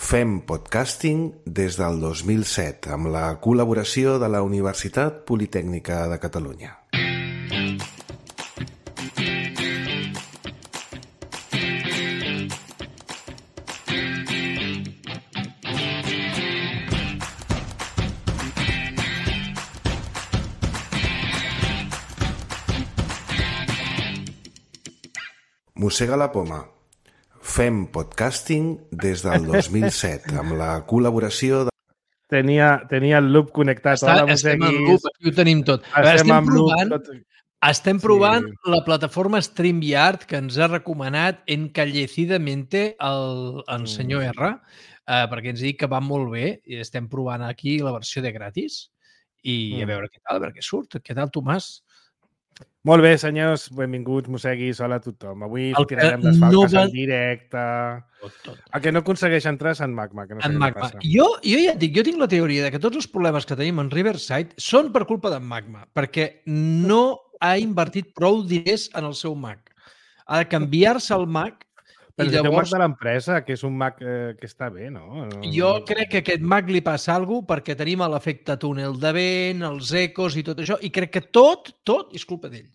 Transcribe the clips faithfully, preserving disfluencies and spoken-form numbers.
Fem podcasting des del dos mil set amb la col·laboració de la Universitat Politècnica de Catalunya. Mossega la poma. Fem podcasting des del dos mil set amb la col·laboració de... Tenia, tenia el loop connectat. Està, Hola, estem en loop, aquí ho tenim tot. Estem, estem en provant, loop. Tot... Estem provant Sí. la plataforma StreamYard que ens ha recomanat encallecidamente el, el senyor R, eh, perquè ens diu que va molt bé i estem provant aquí la versió de gratis i Mm. a veure què tal, a veure què surt. Què tal, Tomàs? Molt bé, senyors, benvinguts, mosseguis, hola a tothom. Avui El que tirarem les falques no va- en directe. Tot, tot. El que no aconsegueix entrar és en Magma, que no sé En què li Magma. passa. Jo, jo ja et dic, jo tinc la teoria de que tots els problemes que tenim en Riverside són per culpa d'en Magma, perquè no ha invertit prou diners en el seu Mac. Ha de canviar-se el Mac Però i si té un Mac llavors de l'empresa, que és un Mac eh, que està bé, no? no jo no- crec que a aquest Mac li passa alguna cosa perquè tenim l'efecte túnel de vent, els ecos i tot això, i crec que tot, tot és culpa d'ell.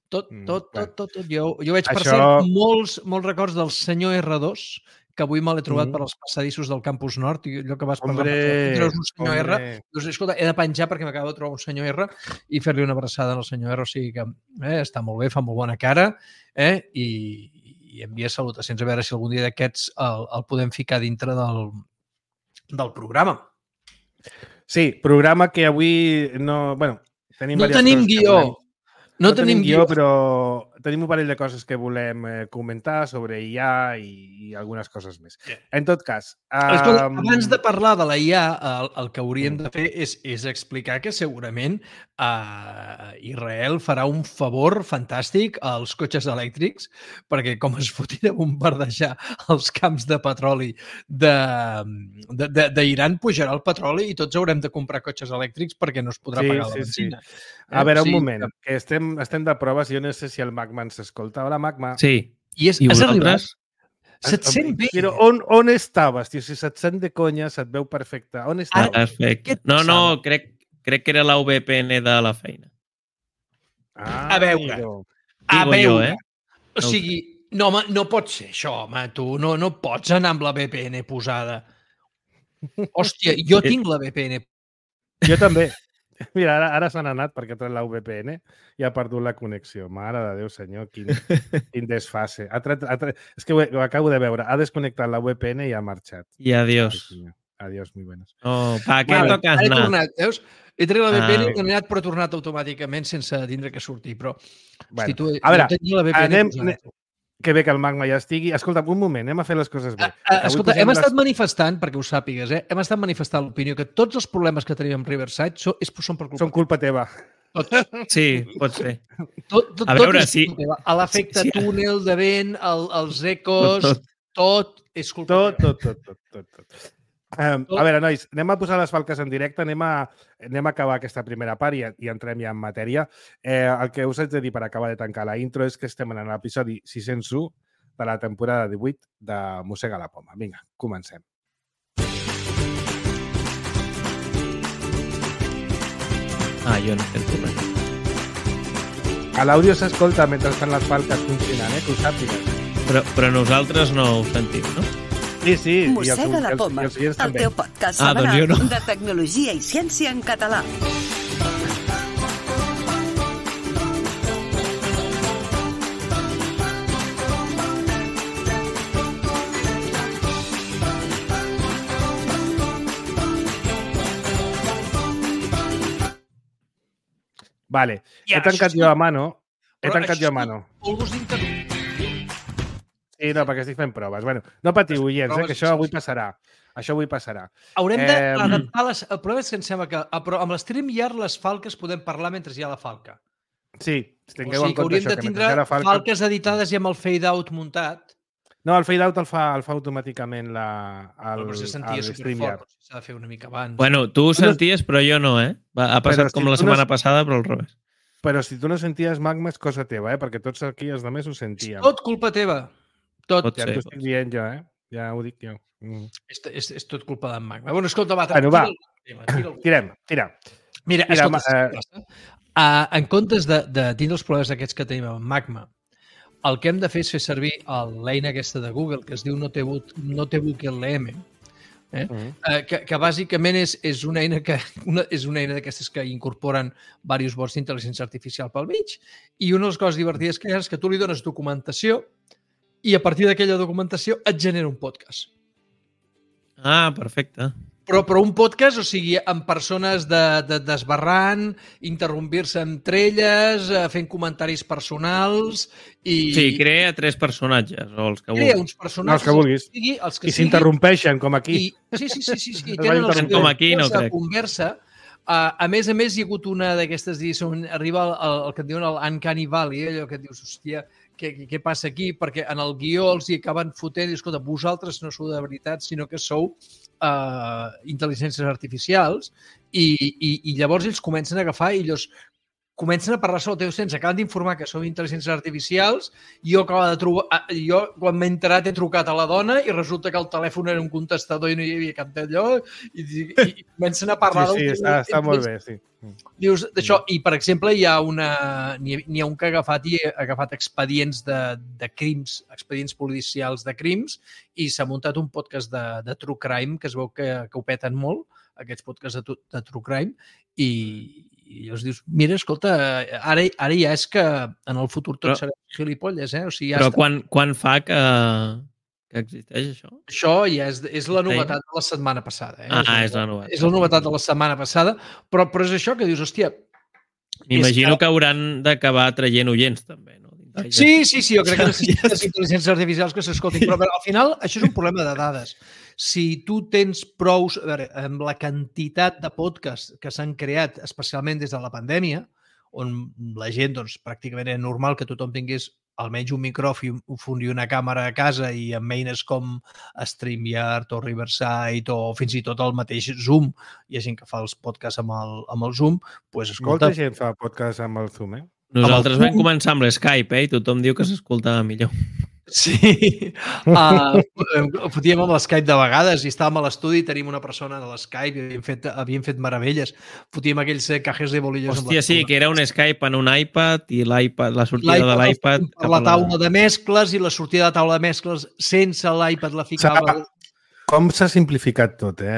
Tot, Mm, tot, bueno. tot, tot, tot. Jo, jo veig, per Això- cert, molts, molts records del senyor R dos, que avui me l'he trobat Mm. per als passadissos del Campus Nord, i allò que vas parlar, Hombre, treus un senyor R, hombre. doncs, escolta, he de penjar perquè m'acabo de trobar un senyor R i fer-li una abraçada al senyor R, o sigui que eh, està molt bé, fa molt bona cara, eh, i, i envia salutacions, a veure si algun dia d'aquests el, el podem ficar dintre del, del programa. Sí, programa que avui no... Bueno, tenim No diverses tenim coses que guió. volem- No, no tenim guió, però tenim un parell de coses que volem eh, comentar sobre I A i, i algunes coses més. Yeah. En tot cas... Escolta, Um, abans de parlar de la I A, el, el que hauríem de fer és, és explicar que segurament uh, Israel farà un favor fantàstic als cotxes elèctrics, perquè com es fotin a bombardejar els camps de petroli d'Iran, de, de, d'Iran, pujarà el petroli i tots haurem de comprar cotxes elèctrics perquè no es podrà Sí, pagar la sí, sí. benzina. A veure, O un sigui moment, que estem, estem de proves, jo no sé si el Magma ens escolta. Hola, Magma. Sí. I és, I has arribat? vosaltres? Se't sent bé? Però on, on estaves, tio? Si se't sent de conya, se't veu perfecte. On Ah, estaves? perfecte. què et No, no, passava? crec, crec que era la V P N de la feina. Ah, a veure. amigo. A Digo jo, veure. eh? O sigui, no, home, no pot ser això, home, tu. No, no pots anar amb la V P N posada. Hòstia, jo tinc la V P N. Jo també. Mira, ara, ara s'han anat perquè ha tret la V P N i ha perdut la connexió. Mare de Déu, senyor, quin, quin desfase. Ha tret, ha tret, és que ho, ho acabo de veure. Ha desconnectat la V P N i ha marxat. I adiós. Ai, senyor. Adiós, muy buenas. Oh, ¿para qué Vale, tocas Ara he nada? tornat, veus? He tret la V P N Ah. i he anat, però he tornat automàticament sense tindre que sortir. Però, Bueno, hosti, tu, a veure, jo tenia la V P N anem, posada. anem, que bé que el Magma ja estigui. Escolta, un moment, anem a fer les coses bé. Ah, ah, Avui escolta, posem hem les- estat manifestant, perquè ho sàpigues, eh? hem estat manifestant l'opinió que tots els problemes que tenim amb Riverside són, és, són per culpa Són culpa teva. Tots. Sí, pot ser. Tot, tot, A veure, tot és sí. culpa teva. A l'efecte Sí, sí. túnel de vent, el, els ecos, Tot, tot, tot és culpa Tot, teva. tot, tot, tot, tot. tot. Um, a veure, nois, anem a posar les falques en directe, anem a, anem a acabar aquesta primera part i, i entrem ja en matèria. Eh, el que us haig de dir per acabar de tancar la intro és que estem en l'episodi sis-cents u de la temporada divuit de Mossega la Poma. Vinga, comencem. Ah, jo no sento res. A l'àudio s'escolta mentre estan les falques funcionant, eh? Que ho sàpigues. Però, però nosaltres no ho sentim, no? Sí, sí. i els- Mossega la els- poma, i els oients el també. teu podcast Ah, doncs jo setmanal no. de tecnologia i ciència en català. Vale. I He ara, tancat això jo és- a mano. He Però tancat això jo a és mano. Polvos d'interrupció. Sí, no, perquè estic fent proves. Bueno, no patiu, oients, eh, Proves, que això sí, avui sí. passarà. Això avui passarà. Haurem Eh, d'adaptar les... El problema és que em sembla que a- però amb l'StreamYard les falques podem parlar mentre hi ha la falca. Sí, O tingueu sigui en que compte hauríem això, de que tindre mentre hi ha la falca... falques editades i amb el fade-out muntat. No, el fade-out el fa, el fa automàticament la, el, Però si sentia el superfort, StreamYard. potser s'ha de fer una mica abans. Bueno, tu ho senties, però jo no, eh? Va, ha passat Però si com la tu no- setmana passada, però al revés. Però si tu no senties Magma és cosa teva, eh? Perquè tots aquí els altres ho sentíem. Tot culpa teva. Tot. Pot Ja ser. t'ho estic dient jo, eh? Ja ho dic, ja. Mm. És, és, és tot culpa d'en Magma. Bueno, escolta, va, Bueno, va. tira, tira, tira. Tirem, tira. Mira, Mira, escolta, ma- eh... uh, en comptes de, de tindre els problemes aquests que tenim amb Magma, el que hem de fer és fer servir l'eina aquesta de Google, que es diu Notebook, Notebook L M, eh? Mm. Uh, que, que bàsicament és, és una eina que una, és una eina d'aquestes que incorporen diversos bots d'intel·ligència artificial pel mig, i una de les coses divertides que hi ha és que tu li dones documentació i a partir d'aquella documentació et genera un podcast. Ah, perfecte. Però, però un podcast, o sigui, amb persones de, de, desbarrant, interrompir-se entre elles, eh, fent comentaris personals i... Sí, crea tres personatges, o els que Crea vulguis. uns personatges, Els que vulguis. Els que sigui, els que I s'interrompeixen, com aquí. I, sí, sí, sí, sí, sí. I Es tenen van els interrompent. Com aquí, no de crec. conversa. Uh, a més a més, hi ha hagut una d'aquestes, on arriba el, el, el que en diuen el Uncanny Valley, allò que et dius, hòstia, què, què, què passa aquí? Perquè en el guió els hi acaben fotent i, escolta, vosaltres no sou de veritat, sinó que sou uh, intel·ligències artificials i, i, i llavors ells comencen a agafar i ells comencen a parlar sobre el teu sens, acaben d'informar que sou intel·ligències artificials, jo acabo de trobar, jo quan m'he enterat he trucat a la dona i resulta que el telèfon era un contestador i no hi havia cap d'allò i, i, i comencen a parlar Sí, sí, del... està, està molt bé, sí. Dius d'això, i per exemple hi ha una n'hi ha, n'hi ha un que ha agafat i ha agafat expedients de, de crims, expedients policials de crims i s'ha muntat un podcast de, de True Crime que es veu que, que ho peten molt, aquests podcasts de, de True Crime i, i llavors dius, mira, escolta, ara, ara ja és que en el futur tot Però- serà gilipolles, eh? O sigui, ja Però està. quan, quan fa que, que existeix això? Això ja és, és la novetat de la setmana passada. Eh? Ah, és la novetat. És la novetat de la setmana passada, però, però és això que dius, hòstia... M'imagino és que hauran d'acabar traient oients, també, no? Sí, sí, sí, jo crec que necessites intel·ligències artificials que s'escoltin, però al final això és un problema de dades. Si tu tens prous, a veure, amb la quantitat de podcasts que s'han creat, especialment des de la pandèmia, on la gent, doncs, pràcticament era normal que tothom tingués almenys un micròfon i una càmera a casa i amb eines com StreamYard o Riverside o fins i tot el mateix Zoom, hi ha gent que fa els podcasts amb el, amb el Zoom, doncs, escolta... Molta gent fa podcast amb el Zoom, eh? Nosaltres Amb el vam començar amb l'Skype, eh? I tothom diu que s'escoltava millor. Sí, uh, fotíem amb l'Skype de vegades i estàvem a l'estudi i tenim una persona a l'Skype i havíem fet, havíem fet meravelles. Fotíem aquells cajes de bolillos. Hòstia, sí, que era un Skype en un iPad i l'iPad, la sortida de l'iPad... Per la taula de mescles i la sortida de taula de mescles sense l'iPad la ficava... Com s'ha simplificat tot, eh?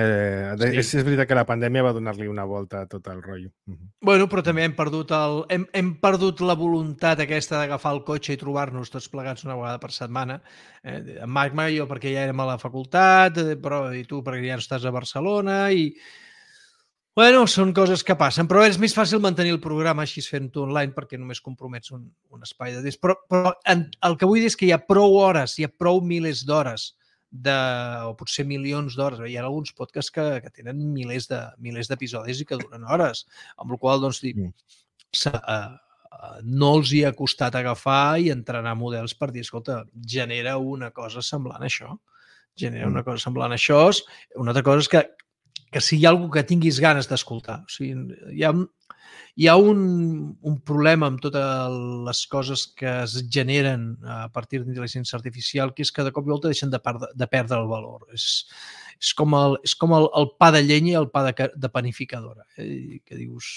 Sí. És, és veritat que la pandèmia va donar-li una volta a tot el rotllo. Bueno, però també hem perdut, el, hem, hem perdut la voluntat aquesta d'agafar el cotxe i trobar-nos tots plegats una vegada per setmana. Eh, en Magma i jo perquè ja érem a la facultat, eh, però i tu perquè ja no estàs a Barcelona i... Bueno, són coses que passen, però és més fàcil mantenir el programa així fent-ho online perquè només compromets un, un espai de temps. Però, però en, el que vull dir és que hi ha prou hores, hi ha prou milers d'hores de, o potser milions d'hores. Hi ha alguns podcasts que, que tenen milers de milers d'episodis i que duren hores, amb la qual cosa, doncs, Mm. uh, uh, no els hi ha costat agafar i entrenar models per dir, escolta, genera una cosa semblant a això. Genera una cosa semblant a això. Una altra cosa és que, que si hi ha algú que tinguis ganes d'escoltar. O sigui, hi ha, hi ha un, un problema amb totes les coses que es generen a partir d'intel·ligència artificial, que és que de cop i volta deixen de, perdre, de perdre el valor. És, és com, el, és com el, el pa de llenya i el pa de, de panificadora. Eh? Que dius...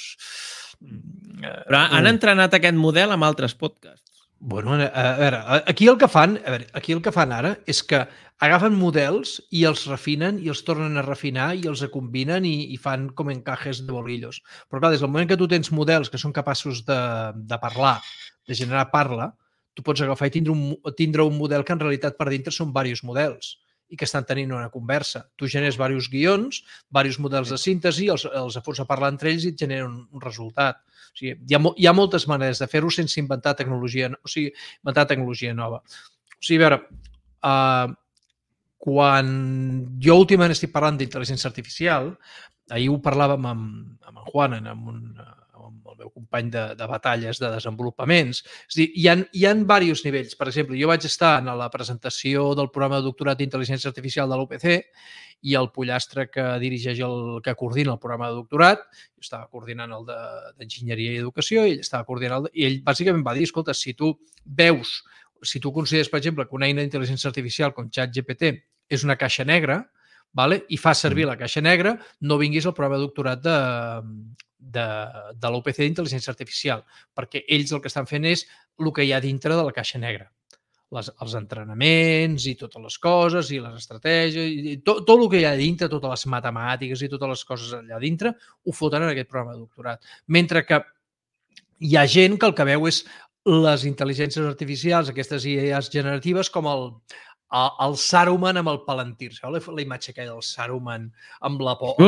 Però han entrenat aquest model amb altres podcasts. Bueno, a veure, aquí el que fan, a veure, aquí el que fan ara és que agafen models i els refinen i els tornen a refinar i els combinen i, i fan com encajes de bolillos. Però clar, des del moment que tu tens models que són capaços de, de parlar, de generar parla, tu pots agafar i tindre un, tindre un model que en realitat per dintre són diversos models i que estan tenint una conversa. Tu generes diversos guions, diversos models de síntesi, els, els fots a parlar entre ells i et generen un, un resultat. O sigui, hi ha, hi ha moltes maneres de fer-ho sense inventar tecnologia, o sigui, inventar tecnologia nova. O sigui, a veure, uh, quan jo últimament estic parlant d'intel·ligència artificial, ahir ho parlàvem amb, amb en Juan, amb, un, amb el meu company de, de batalles de desenvolupaments. És a dir, hi ha, hi ha diversos nivells. Per exemple, jo vaig estar en la presentació del programa de doctorat d'intel·ligència artificial de l'U P C i el pollastre que dirigeix el que coordina el programa de doctorat, jo estava coordinant el d'enginyeria i educació i ell estava coordinant el de, i ell bàsicament va dir, escolta, si tu veus, si tu consideres, per exemple, que una eina d'intel·ligència artificial com ChatGPT és una caixa negra, vale? I fa servir la caixa negra, no vinguis al programa de doctorat de, de, de l'U P C d'Intel·ligència Artificial, perquè ells el que estan fent és el que hi ha dintre de la caixa negra. Les, els entrenaments i totes les coses i les estratègies, i tot, tot el que hi ha dintre, totes les matemàtiques i totes les coses allà dintre, ho foten en aquest programa de doctorat. Mentre que hi ha gent que el que veu és les intel·ligències artificials, aquestes I As generatives, com el, el, el Saruman amb el Palantir. Sabeu la, la imatge aquella del Saruman amb la por?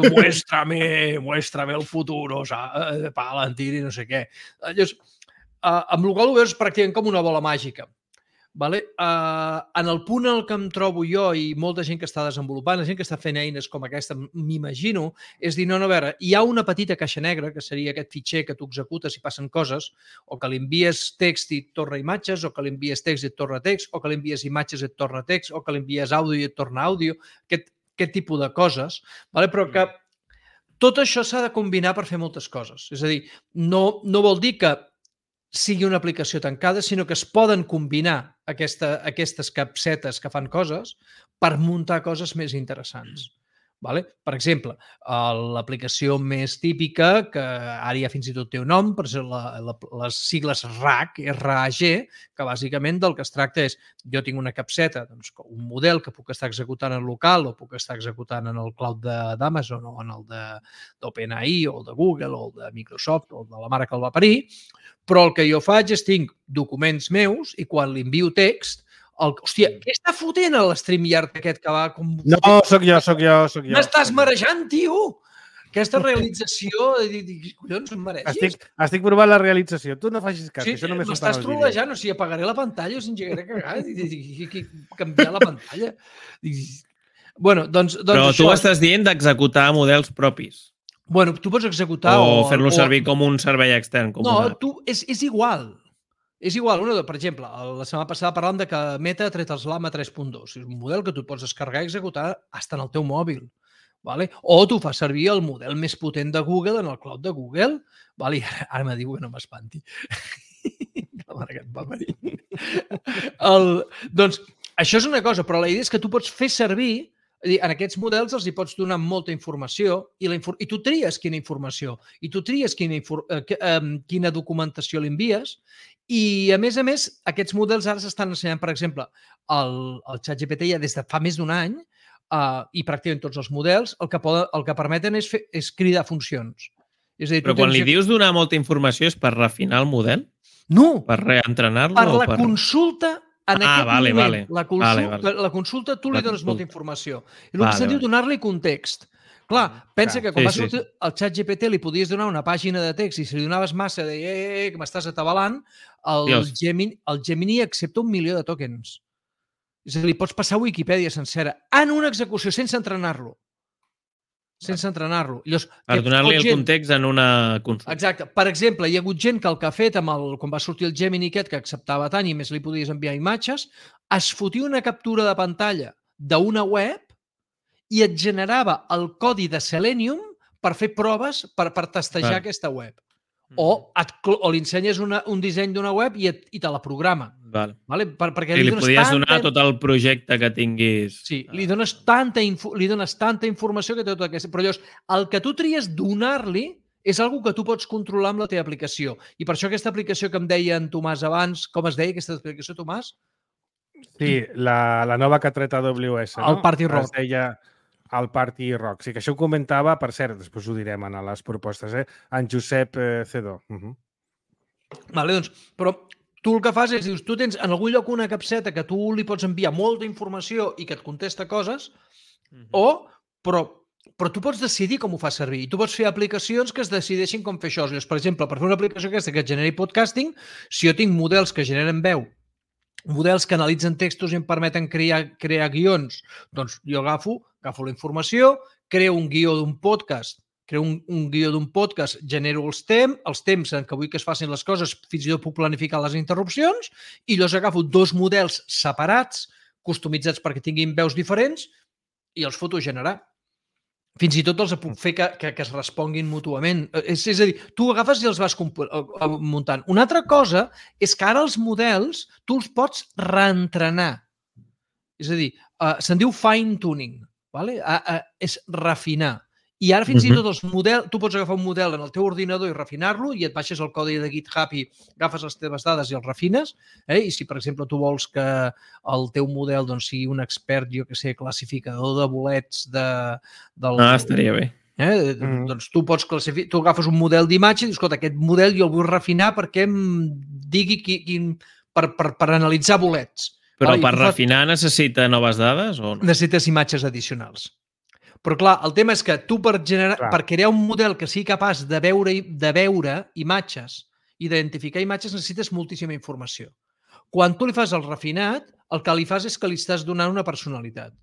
Muéstrame, muéstrame el futuro, o sea, Palantir i no sé què. Llavors, Uh, amb el qual ho veus pràcticament com una bola màgica. Vale? Uh, en el punt en el que em trobo jo i molta gent que està desenvolupant, la gent que està fent eines com aquesta, m'imagino, és dir, no, no, a veure, hi ha una petita caixa negra, que seria aquest fitxer que tu executes i passen coses, o que li envies text i et torna imatges, o que li envies text i et torna text, o que li envies imatges i et torna text, o que li envies àudio i et torna àudio, aquest, aquest tipus de coses, vale? Però que tot això s'ha de combinar per fer moltes coses. És a dir, no, no vol dir que sigui una aplicació tancada, sinó que es poden combinar aquesta, aquestes capsetes que fan coses per muntar coses més interessants. Vale? Per exemple, l'aplicació més típica, que ara ja fins i tot té un nom, per exemple, la, la, les sigles R A G, R A G, que bàsicament del que es tracta és, jo tinc una capseta, doncs, un model que puc estar executant en local o puc estar executant en el cloud d'Amazon o en el d'OpenAI o el de Google o el de Microsoft o el de la mare que el va parir, però el que jo faig és tinc documents meus i quan li envio text, el, hòstia, què està fotent a l'StreamYard aquest que va... Com... No, sóc jo, sóc jo, sóc jo. M'estàs marejant, tio! Aquesta realització, collons, em maregis. Estic, estic provant la realització. Tu no facis cas, sí, això només m'estàs trolejant, o sigui, apagaré la pantalla o s'engegaré a cagar i canviar la pantalla. Bueno, doncs, doncs Però això... tu estàs dient d'executar models propis. Bueno, tu pots executar... O, o fer-lo servir com un servei extern. Com no, una... tu, és, és igual. És igual, una, per exemple, la setmana passada parlàvem de que Meta ha tret els Llama tres punt dos. És un model que tu pots descarregar i executar fins en el teu mòbil. Vale? O tu fas servir el model més potent de Google en el cloud de Google. Vale? Ara, ara me diu que no m'espanti. La mare que em va parir. El, doncs, això és una cosa, però la idea és que tu pots fer servir, en aquests models els hi pots donar molta informació i, la infor i tu tries quina informació i tu tries quina, eh, quina documentació li envies. I, a més a més, aquests models ara s'estan ensenyant, per exemple, el, el ChatGPT ja des de fa més d'un any uh, i pràcticament tots els models el que, poden, el que permeten és, fer, és cridar funcions. És a dir, Però quan tens... li dius donar molta informació és per refinar el model? No! Per reentrenar-lo? Per la per... consulta en ah, aquest vale, moment. Vale. La, consulta, vale, vale. la consulta tu li dones consulta. molta informació. I el vale, que se'n diu vale. donar-li context. Clar, pensa que quan sí, va sortir sí. el ChatGPT li podies donar una pàgina de text i si li donaves massa de eh, eh, que m'estàs atabalant, el Gemini, el Gemini accepta un milió de tokens. És a dir, li pots passar Wikipedia sencera en una execució sense entrenar-lo. Sense entrenar-lo. Per donar-li el context en una consulta. Exacte. Per exemple, hi ha hagut gent que el que ha fet amb el, quan va sortir el Gemini aquest, que acceptava tant i més li podies enviar imatges, es fotia una captura de pantalla d'una web i et generava el codi de Selenium per fer proves, per, per testejar vale. aquesta web. O, et, o li ensenyes una, un disseny d'una web i, et, i te la programa. Vale. Vale? Per, perquè sí, li, li podies tanta... donar tot el projecte que tinguis. Sí, li dones tanta, info, li dones tanta informació que té tota aquesta... Però llavors, el que tu tries donar-li és algo que tu pots controlar amb la teva aplicació. I per això aquesta aplicació que em deia en Tomàs abans, com es deia aquesta aplicació, Tomàs? Sí, la, la nova que ha tret A W S, no? El Party Rock. Es deia el Party Rock. Sí, que això ho comentava, per cert, després ho direm a les propostes, eh? En Josep eh, Cedó. Uh -huh. Vale, doncs, però tu el que fas és, dius, tu tens en algun lloc una capseta que tu li pots enviar molta informació i que et contesta coses, uh -huh. o, però, però tu pots decidir com ho fas servir. I tu pots fer aplicacions que es decideixin com fer això. Llavors, per exemple, per fer una aplicació aquesta que et generi podcasting, si jo tinc models que generen veu, models que analitzen textos i em permeten crear, crear guions, doncs jo agafo, agafo la informació, creo un guió d'un podcast, creo un, un guió d'un podcast, genero els temps, els temps en què vull que es facin les coses, fins i tot puc planificar les interrupcions, i llavors agafo dos models separats, customitzats perquè tinguin veus diferents, i els foto a generar. Fins i tot els puc fer que, que, que es responguin mútuament. És, és a dir, tu agafes i els vas muntant. Una altra cosa és que ara els models tu els pots reentrenar. És a dir, uh, se'n diu fine-tuning. Vale? Uh, uh, és refinar. I ara fins uh-huh. i tot els models, tu pots agafar un model en el teu ordinador i refinar-lo i et baixes el codi de GitHub i agafes les teves dades i el refines. Eh? I si, per exemple, tu vols que el teu model doncs, sigui un expert, jo que sé, classificador de bolets de... Del, ah, estaria bé. Eh? Mm. Doncs tu pots classificar, tu agafes un model d'imatge i dius, escolta, aquest model jo el vull refinar perquè em digui quin, per, per, per analitzar bolets. Però vale? per refinar fas... necessita noves dades o no? Necessites imatges addicionals. Però, clar, el tema és que tu per, generar, per crear un model que sigui capaç de veure, de veure imatges i d'identificar imatges necessites moltíssima informació. Quan tu li fas el refinat, el que li fas és que li estàs donant una personalitat.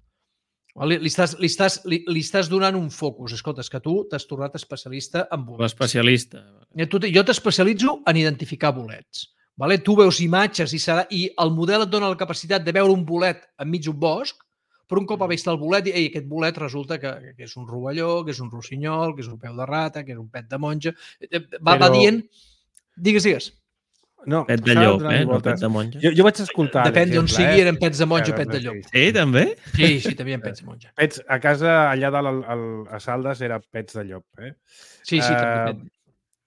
Li, li, estàs, li, estàs, li, li estàs donant un focus. Escolta, és que tu t'has tornat especialista en bolets. L'especialista. Jo t'especialitzo en identificar bolets. Vale? Tu veus imatges i, serà, i el model et dona la capacitat de veure un bolet enmig d'un bosc, però un cop ha vist el bolet, i aquest bolet resulta que, que és un rovelló, que és un rossinyol, que és un peu de rata, que és un pet de monja. Va, però... va dient... Digues, digues. No, pet de llop, eh? No pet de monja. Jo, jo vaig escoltar... Depèn d'on sigui, eh? eren pets de monja o pet de llop. Sí, també? Sí, sí, també hi ha pets de monja. Pets, a casa, allà dalt al, al, a Saldes, era pets de llop, eh? Sí, sí, uh, també.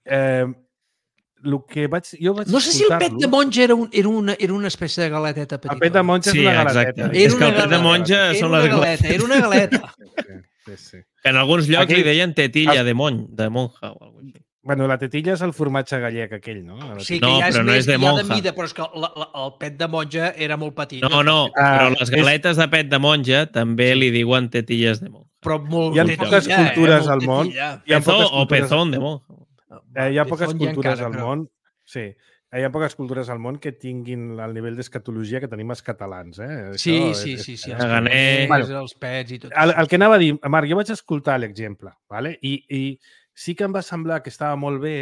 Eh, el que vaig, jo vaig no sé si el pet de monja era, un, era, una, era una espècie de galeteta petita. El pet de monja sí, és una galeteta. Exacte. És que el pet de monja era són les galetes. Era una galeta. Sí, sí, sí. Que en alguns llocs aquell... li deien tetilla el... de, mon, de monja o alguna cosa. Bueno, la tetilla és el formatge gallec aquell, no? Sí, que no, ja és però no més, és de monja. De mida, però és que la, la, el pet de monja era molt petit. No, no, ah, però les galetes és... de pet de monja també li diuen tetilles de monja. Però molt hi ha tetilla, poques cultures eh? al món. Pezó o pezón de monja. Eh, hi ha poques cultures al món. Sí, hi ha poques cultures al món que tinguin el nivell d'escatologia que tenim els catalans. Eh? Sí, Això sí, és, sí. sí els ganers, bueno, els pets i tot. El, el que anava a dir, Marc, jo vaig escoltar l'exemple, ¿vale? I, i sí que em va semblar que estava molt bé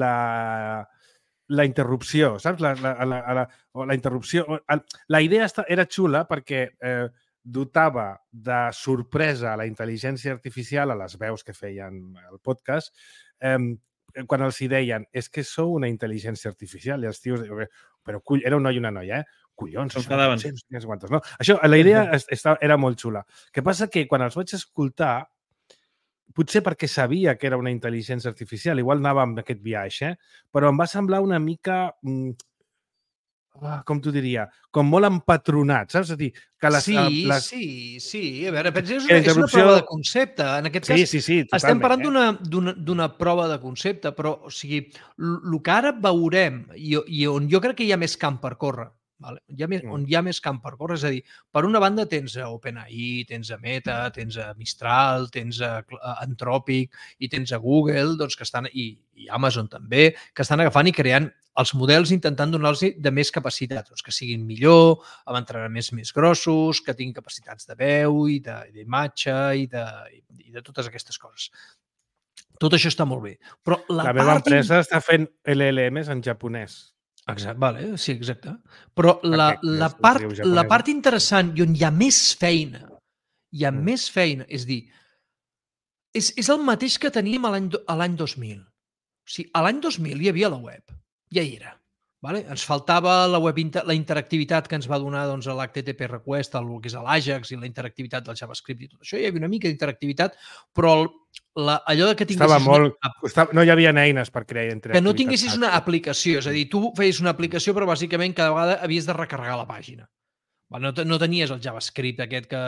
la, la interrupció, saps? La, la, la, la, la interrupció. La idea era xula perquè eh, dotava de sorpresa a la intel·ligència artificial, a les veus que feien el podcast, eh, quan els hi deien, és que sou una intel·ligència artificial, i els tios, però cull, era un noi i una noia, eh? Collons, això, no? Això, la idea estava, era molt xula. El que passa que quan els vaig escoltar, potser perquè sabia que era una intel·ligència artificial, igual anava amb aquest viatge, eh? Però em va semblar una mica... Mm, com t'ho diria, com molt empatronat, saps? És a dir, que les... Sí, les... sí, sí. A veure, pensa, és, una, és una prova de concepte. En aquest cas, sí, sí, sí, totalment, estem parlant eh? d'una prova de concepte, però, o sigui, el que ara veurem i, i on jo crec que hi ha més camp per córrer, vale? Hi ha més, on hi ha més camp per córrer, és a dir, per una banda tens a OpenAI, tens a Meta, tens a Mistral, tens a Anthropic i tens a Google, doncs, que estan, i, i Amazon també, que estan agafant i creant els models intentant donar-los de més capacitat, doncs que siguin millor, amb entrenaments més grossos, que tinguin capacitats de veu i d'imatge i, de, i de totes aquestes coses. Tot això està molt bé. Però la, la meva part... empresa està fent L L Ms en japonès. Exacte, vale, sí, exacte. Però la, la, part, la part interessant i on hi ha més feina, hi ha mm. més feina, és dir, és, és el mateix que teníem a l'any dos mil. O sigui, a l'any dos mil hi havia la web, ja hi era. Vale? Ens faltava la web inter la interactivitat que ens va donar doncs, l'H T T P Request, el que és l'Ajax i la interactivitat del JavaScript i tot això. Hi havia una mica d'interactivitat, però el, la, allò de que tinguessis... Estava molt... Una... Estava... No hi havia eines per crear interactivitat. Que no tinguessis una aplicació. És a dir, tu feies una aplicació, però bàsicament cada vegada havies de recarregar la pàgina. No, no tenies el JavaScript aquest que,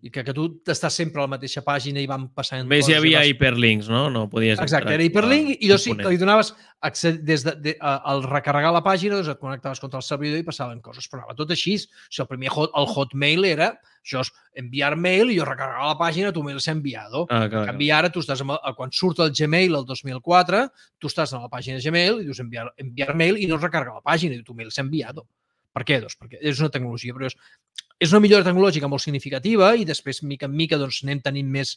que, que tu estàs sempre a la mateixa pàgina i van passant... Més hi havia vas... hiperlinks, no? No podies... Exacte, era hiperlink i llavors sí, que li donaves accés, des de, de, a, al recarregar la pàgina, doncs et connectaves contra el servidor i passaven coses. Però tot així, o sigui, el primer hot, el Hotmail era això és enviar mail i jo recarregava la pàgina, tu mail s'ha enviado. Ah, clar, en canvi, ara tu estàs amb el, quan surt el Gmail el dos mil quatre, tu estàs a la pàgina de Gmail i dius enviar, enviar mail i no es recarga la pàgina i tu mail s'ha enviado. Per què? Doncs perquè és una tecnologia, però és, és una millora tecnològica molt significativa i després, mica en mica, doncs, anem tenint més,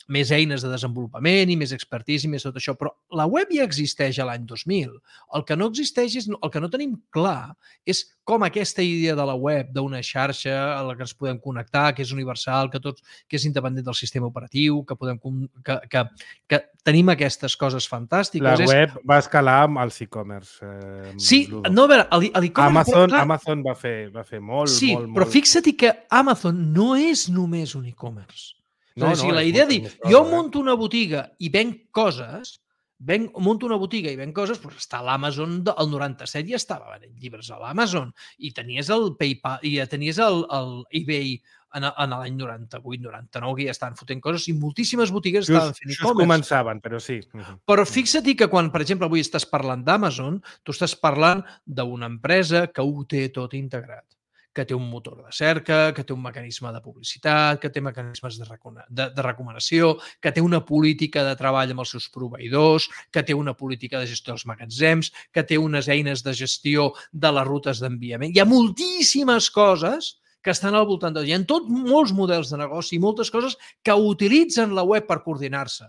més eines de desenvolupament i més expertise i més tot això, però la web ja existeix a l'any dos mil. El que no existeix és, el que no tenim clar és com aquesta idea de la web, d'una xarxa a la que ens podem connectar, que és universal, que tots, que és independent del sistema operatiu, que podem que, que, que tenim aquestes coses fantàstiques. La és... web va escalar amb els e-commerce. Eh, sí, Ludo. no, a veure, l'e-commerce... Amazon, clar, Amazon va fer, va fer molt, sí, molt, molt... Sí, però fixa't que Amazon no és només un e-commerce. No, no, o sigui, no, la idea de dir, cosa, jo eh? munto una botiga i venc coses, venc, munto una botiga i venc coses, doncs està a l'Amazon, el noranta-set ja estava venent llibres a l'Amazon, i tenies el PayPal, i ja tenies el, el eBay en, en l'any noranta-vuit noranta-nou, que ja estaven fotent coses, i moltíssimes botigues just, estaven fent e-commerce. Just començaven, però sí. Però fixa't que quan, per exemple, avui estàs parlant d'Amazon, tu estàs parlant d'una empresa que ho té tot integrat, que té un motor de cerca, que té un mecanisme de publicitat, que té mecanismes de, de, de recomanació, que té una política de treball amb els seus proveïdors, que té una política de gestió dels magatzems, que té unes eines de gestió de les rutes d'enviament. Hi ha moltíssimes coses que estan al voltant de... Hi ha tot molts models de negoci i moltes coses que utilitzen la web per coordinar-se.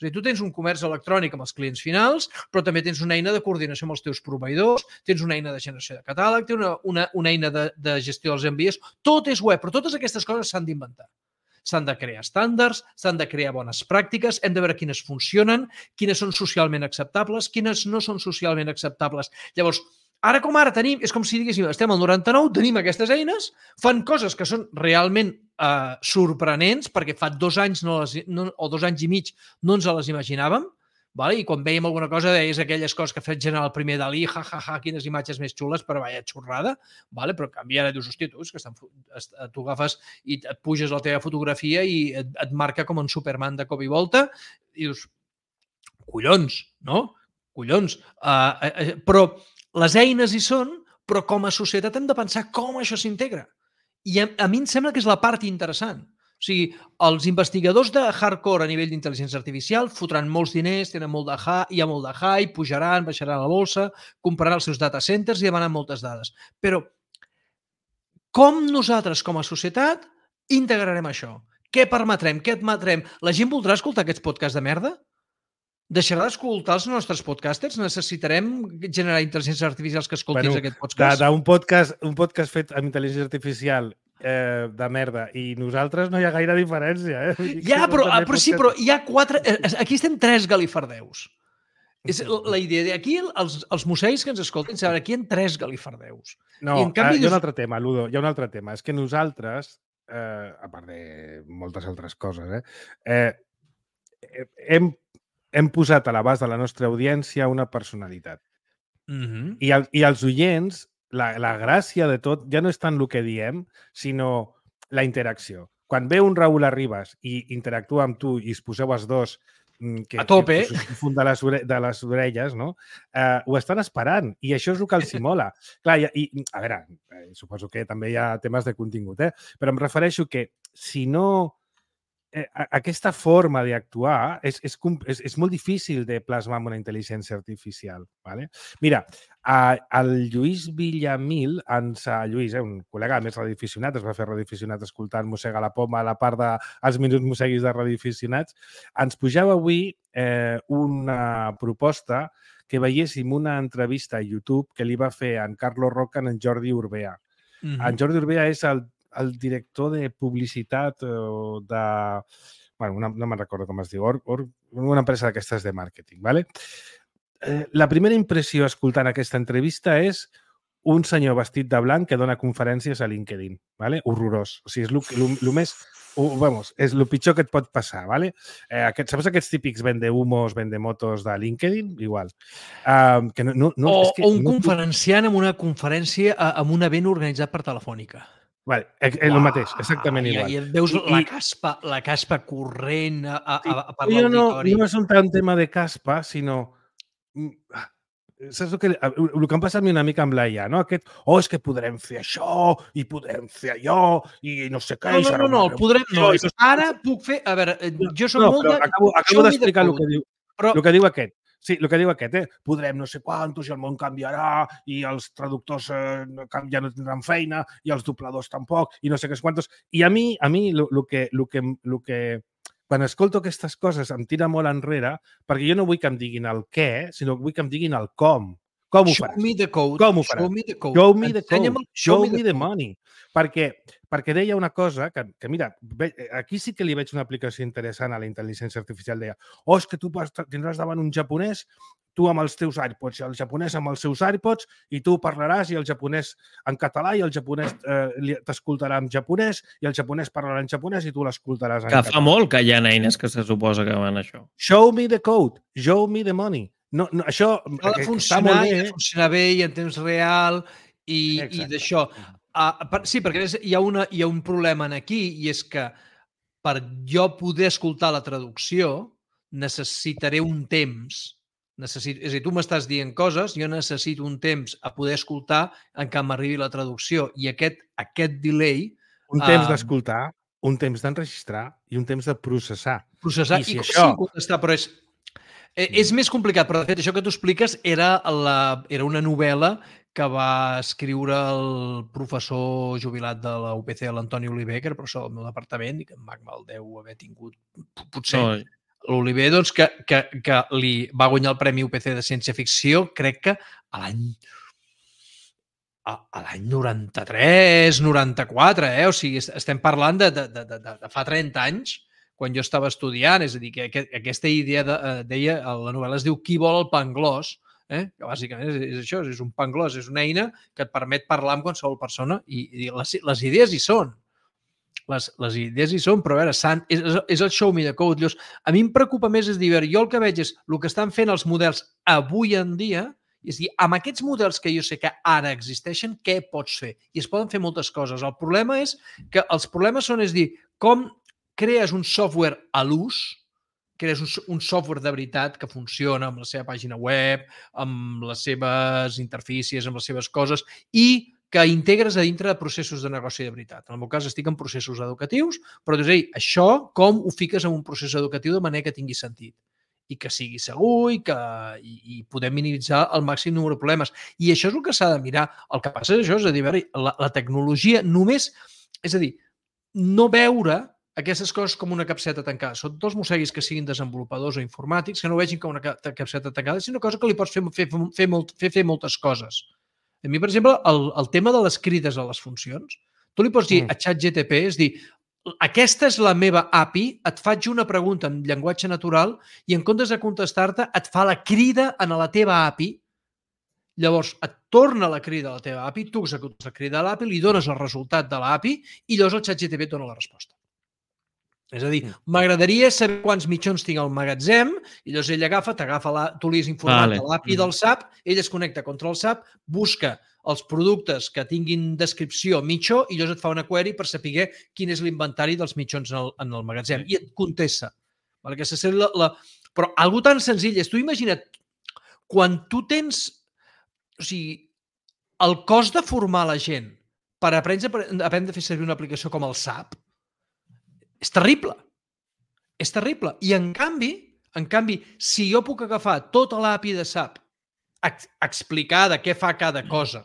És a dir, tu tens un comerç electrònic amb els clients finals, però també tens una eina de coordinació amb els teus proveïdors, tens una eina de generació de catàleg, tens una, una, una eina de, de gestió dels envies. Tot és web, però totes aquestes coses s'han d'inventar. S'han de crear estàndards, s'han de crear bones pràctiques, hem de veure quines funcionen, quines són socialment acceptables, quines no són socialment acceptables. Llavors, ara com ara tenim, és com si diguéssim, estem al noranta-nou, tenim aquestes eines, fan coses que són realment eh, sorprenents, perquè fa dos anys no les, no, o dos anys i mig no ens les imaginàvem, vale? I quan veiem alguna cosa deies aquelles coses que ha fet generar el primer Dalí, ja, ja, ja, quines imatges més xules, però vaya xorrada, vale? Però en canvi ara dius, hòstia, tu, és que estan, tu agafes i et puges la teva fotografia i et, et marca com un Superman de cop i volta, i dius, collons, no? Collons. Uh, uh, però les eines hi són, però com a societat hem de pensar com això s'integra. I a, a mi em sembla que és la part interessant. O sigui, els investigadors de hardcore a nivell d'intel·ligència artificial fotran molts diners, tenen molt de hi ha molt de hype, pujaran, baixaran a la bolsa, compraran els seus data centers i demanen moltes dades. Però com nosaltres, com a societat, integrarem això? Què permetrem? Què admetrem? La gent voldrà escoltar aquests podcasts de merda? Deixarà d'escoltar els nostres podcasters? Necessitarem generar intel·ligències artificials que escoltis bueno, aquest podcast? D'un podcast, un podcast fet amb intel·ligència artificial eh, de merda i nosaltres no hi ha gaire diferència. Eh? Ja, però, però podcast... sí, però hi ha quatre... Aquí estem tres galifardeus. És la idea d'aquí, els, els museis que ens escolten, saben, aquí hi ha tres galifardeus. No, I en canvi, hi ha un altre tema, Ludo, hi ha un altre tema. És que nosaltres, eh, a part de moltes altres coses, eh, eh, hem hem posat a l'abast de la nostra audiència una personalitat. Mm-hmm. I, el, I els oients, la, la gràcia de tot ja no és tant el que diem, sinó la interacció. Quan ve un Raül Arribas i interactua amb tu i es poseu els dos que, a tope, que, que funda de les, ore, de les orelles, no? Eh, ho estan esperant i això és el que els hi mola. Clar, i, i, a veure, suposo que també hi ha temes de contingut, eh? Però em refereixo que si no... Eh, aquesta forma d'actuar és, és, és, és molt difícil de plasmar amb una intel·ligència artificial. Vale? Mira, eh, el Lluís Villamil, ens, eh, Lluís, eh, un col·lega més radioaficionat, es va fer radioaficionat escoltant Mossega la Poma a la part dels minuts mosseguis de radioaficionats, ens pujava avui eh, una proposta que veiéssim una entrevista a YouTube que li va fer en Carlos Roca en Jordi Urbea. Mm-hmm. En Jordi Urbea és el el director de publicitat o de... Bueno, una, no me'n recordo com es diu, or, or, una empresa d'aquestes de màrqueting. ¿Vale? Eh, la primera impressió escoltant aquesta entrevista és un senyor vestit de blanc que dona conferències a LinkedIn. ¿Vale? Horrorós. O sigui, és el més... Uh, vamos, és el pitjor que et pot passar, ¿vale? Eh, aquest, saps aquests típics vendehumos, vendemotos de LinkedIn? Igual. Uh, que no, no, no, o, és que o un no... conferenciant amb una conferència amb un event organitzat per Telefònica. Vale, és el Uau, mateix, exactament igual. I, i veus I, la, caspa, la caspa corrent a, a, sí, a per l'auditori. No, no és un tant tema de caspa, sinó... Saps el que, el que em passa a mi una mica amb l'A I A, no? Aquest, oh, és que podrem fer això i podrem fer allò i no sé què. No, no, no, no, el podrem... No, no, ara puc fer... A veure, jo soc no, molt de... Acabo, acabo d'explicar el que diu, però... el que diu aquest. Sí, el que diu aquest, eh? Podrem no sé quantos i el món canviarà i els traductors eh, ja no tindran feina i els dobladors tampoc i no sé què quantos. I a mi, a mi, el que, el que, el que quan escolto aquestes coses em tira molt enrere perquè jo no vull que em diguin el què, sinó que vull que em diguin el com. Com ho faràs? Show me the code. Com ho faràs? Show me the code. Show me the Ensenya'm code. el Show me the code. money. Perquè, perquè deia una cosa que, que, mira, aquí sí que li veig una aplicació interessant a la intel·ligència artificial. Deia, oh, és que tu tindràs davant un japonès, tu amb els teus AirPods i el japonès amb els seus AirPods, i tu parlaràs i el japonès en català i el japonès eh, t'escoltarà en japonès i el japonès parlarà en japonès i tu l'escoltaràs en que català. Fa molt que hi ha eines que se suposa que van això. Show me the code. Show me the money. No, no, això Ha de funcionar, i ha de funcionar bé i en temps real i, i d'això. Uh, per, sí, perquè hi ha, una, hi ha un problema en aquí i és que per jo poder escoltar la traducció necessitaré un temps. Necessit, és a dir, tu m'estàs dient coses, jo necessito un temps a poder escoltar en què m'arribi la traducció i aquest, aquest delay... Un temps uh, d'escoltar, un temps d'enregistrar i un temps de processar. Processar i, si i això... sí, contestar, però és... És més complicat, però de fet això que tu expliques era, la, era una novel·la que va escriure el professor jubilat de la U P C, l'Antoni Oliver, que era professor del meu departament i que en Mac me'l deu haver tingut, potser, no. L'Oliver, doncs, que, que, que li va guanyar el Premi U P C de Ciència-Ficció, crec que a l'any a, a l'any noranta-tres, noranta-quatre, eh? O sigui, estem parlant de, de, de, de, de fa trenta anys, quan jo estava estudiant, és a dir, que aquesta idea de, deia, la novel·la es diu Qui vol el panglós, eh? Que bàsicament és, és això, és un panglós, és una eina que et permet parlar amb qualsevol persona i, i les, les idees hi són. Les, les idees hi són, però a veure, sant, és, és el show me the code. Llavors, a mi em preocupa més, és dir, jo el que veig és el que estan fent els models avui en dia, és dir, amb aquests models que jo sé que ara existeixen, què pots fer? I es poden fer moltes coses. El problema és que els problemes són, és dir, com crees un software a l'ús, crees un, un software de veritat que funciona amb la seva pàgina web, amb les seves interfícies, amb les seves coses, i que integres a dintre de processos de negoci de veritat. En el meu cas estic en processos educatius, però dius, ei, això com ho fiques en un procés educatiu de manera que tingui sentit i que sigui segur i que i, i podem minimitzar el màxim número de problemes. I això és el que s'ha de mirar. El que passa és això, és a dir, la, la tecnologia només, és a dir, no veure aquestes coses com una capseta tancada. Són dos mosseguis que siguin desenvolupadors o informàtics, que no vegin com una capseta tancada, sinó una cosa que li pots fer, fer, fer, molt, fer, fer moltes coses. A mi, per exemple, el, el tema de les crides a les funcions, tu li pots dir mm. a ChatGPT, és dir, aquesta és la meva A P I, et faig una pregunta en llenguatge natural i en comptes de contestar-te et fa la crida en la teva A P I. Llavors, et torna la crida a la teva A P I, tu executes la crida a l'A P I, li dones el resultat de l'A P I i llavors el ChatGPT et dona la resposta. És a dir, m'agradaria saber quants mitjons tinc al magatzem i llavors ell agafa, t'agafa, la, tu li has informat vale. de l'A P I del S A P, ell es connecta contra el S A P, busca els productes que tinguin descripció mitjó i llavors et fa una query per saber quin és l'inventari dels mitjons en el, en el magatzem i et contesta. Vale? Que la, la... Però algo tan senzill és, tu imagina't, quan tu tens, o sigui, el cost de formar la gent per aprendre, aprendre a fer servir una aplicació com el S A P, és terrible. És terrible. I en canvi, en canvi, si jo puc agafar tota l'A P I de S A P, explicar de què fa cada cosa,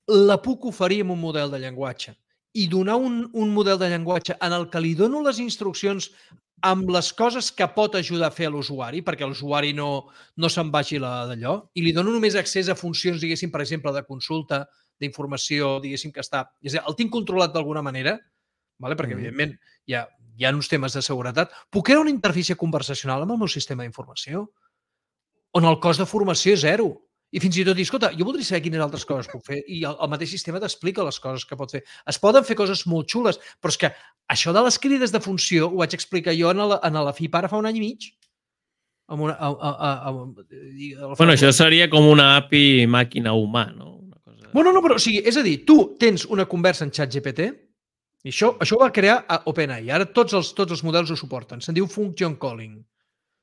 la puc oferir amb un model de llenguatge i donar un, un model de llenguatge en el que li dono les instruccions amb les coses que pot ajudar a fer a l'usuari, perquè l'usuari no, no se'n vagi d'allò, i li dono només accés a funcions, diguéssim, per exemple, de consulta, d'informació, diguéssim, que està... És a dir, el tinc controlat d'alguna manera, vale? Perquè, mm. evidentment, hi ha, hi ha uns temes de seguretat. Puc crear una interfície conversacional amb el meu sistema d'informació on el cost de formació és zero. I fins i tot dir, escolta, jo voldria saber quines altres coses puc fer i el, el mateix sistema t'explica les coses que pot fer. Es poden fer coses molt xules, però és que això de les crides de funció ho vaig explicar jo en la, en la F I P ara fa un any i mig. Amb una, a, a, a, a, a, bueno, això seria com una A P I màquina humà, no? Una cosa... Bueno, no, però o sigui, és a dir, tu tens una conversa en ChatGPT i això, això ho va crear a OpenAI. Ara tots els, tots els models ho suporten. Se'n diu function calling.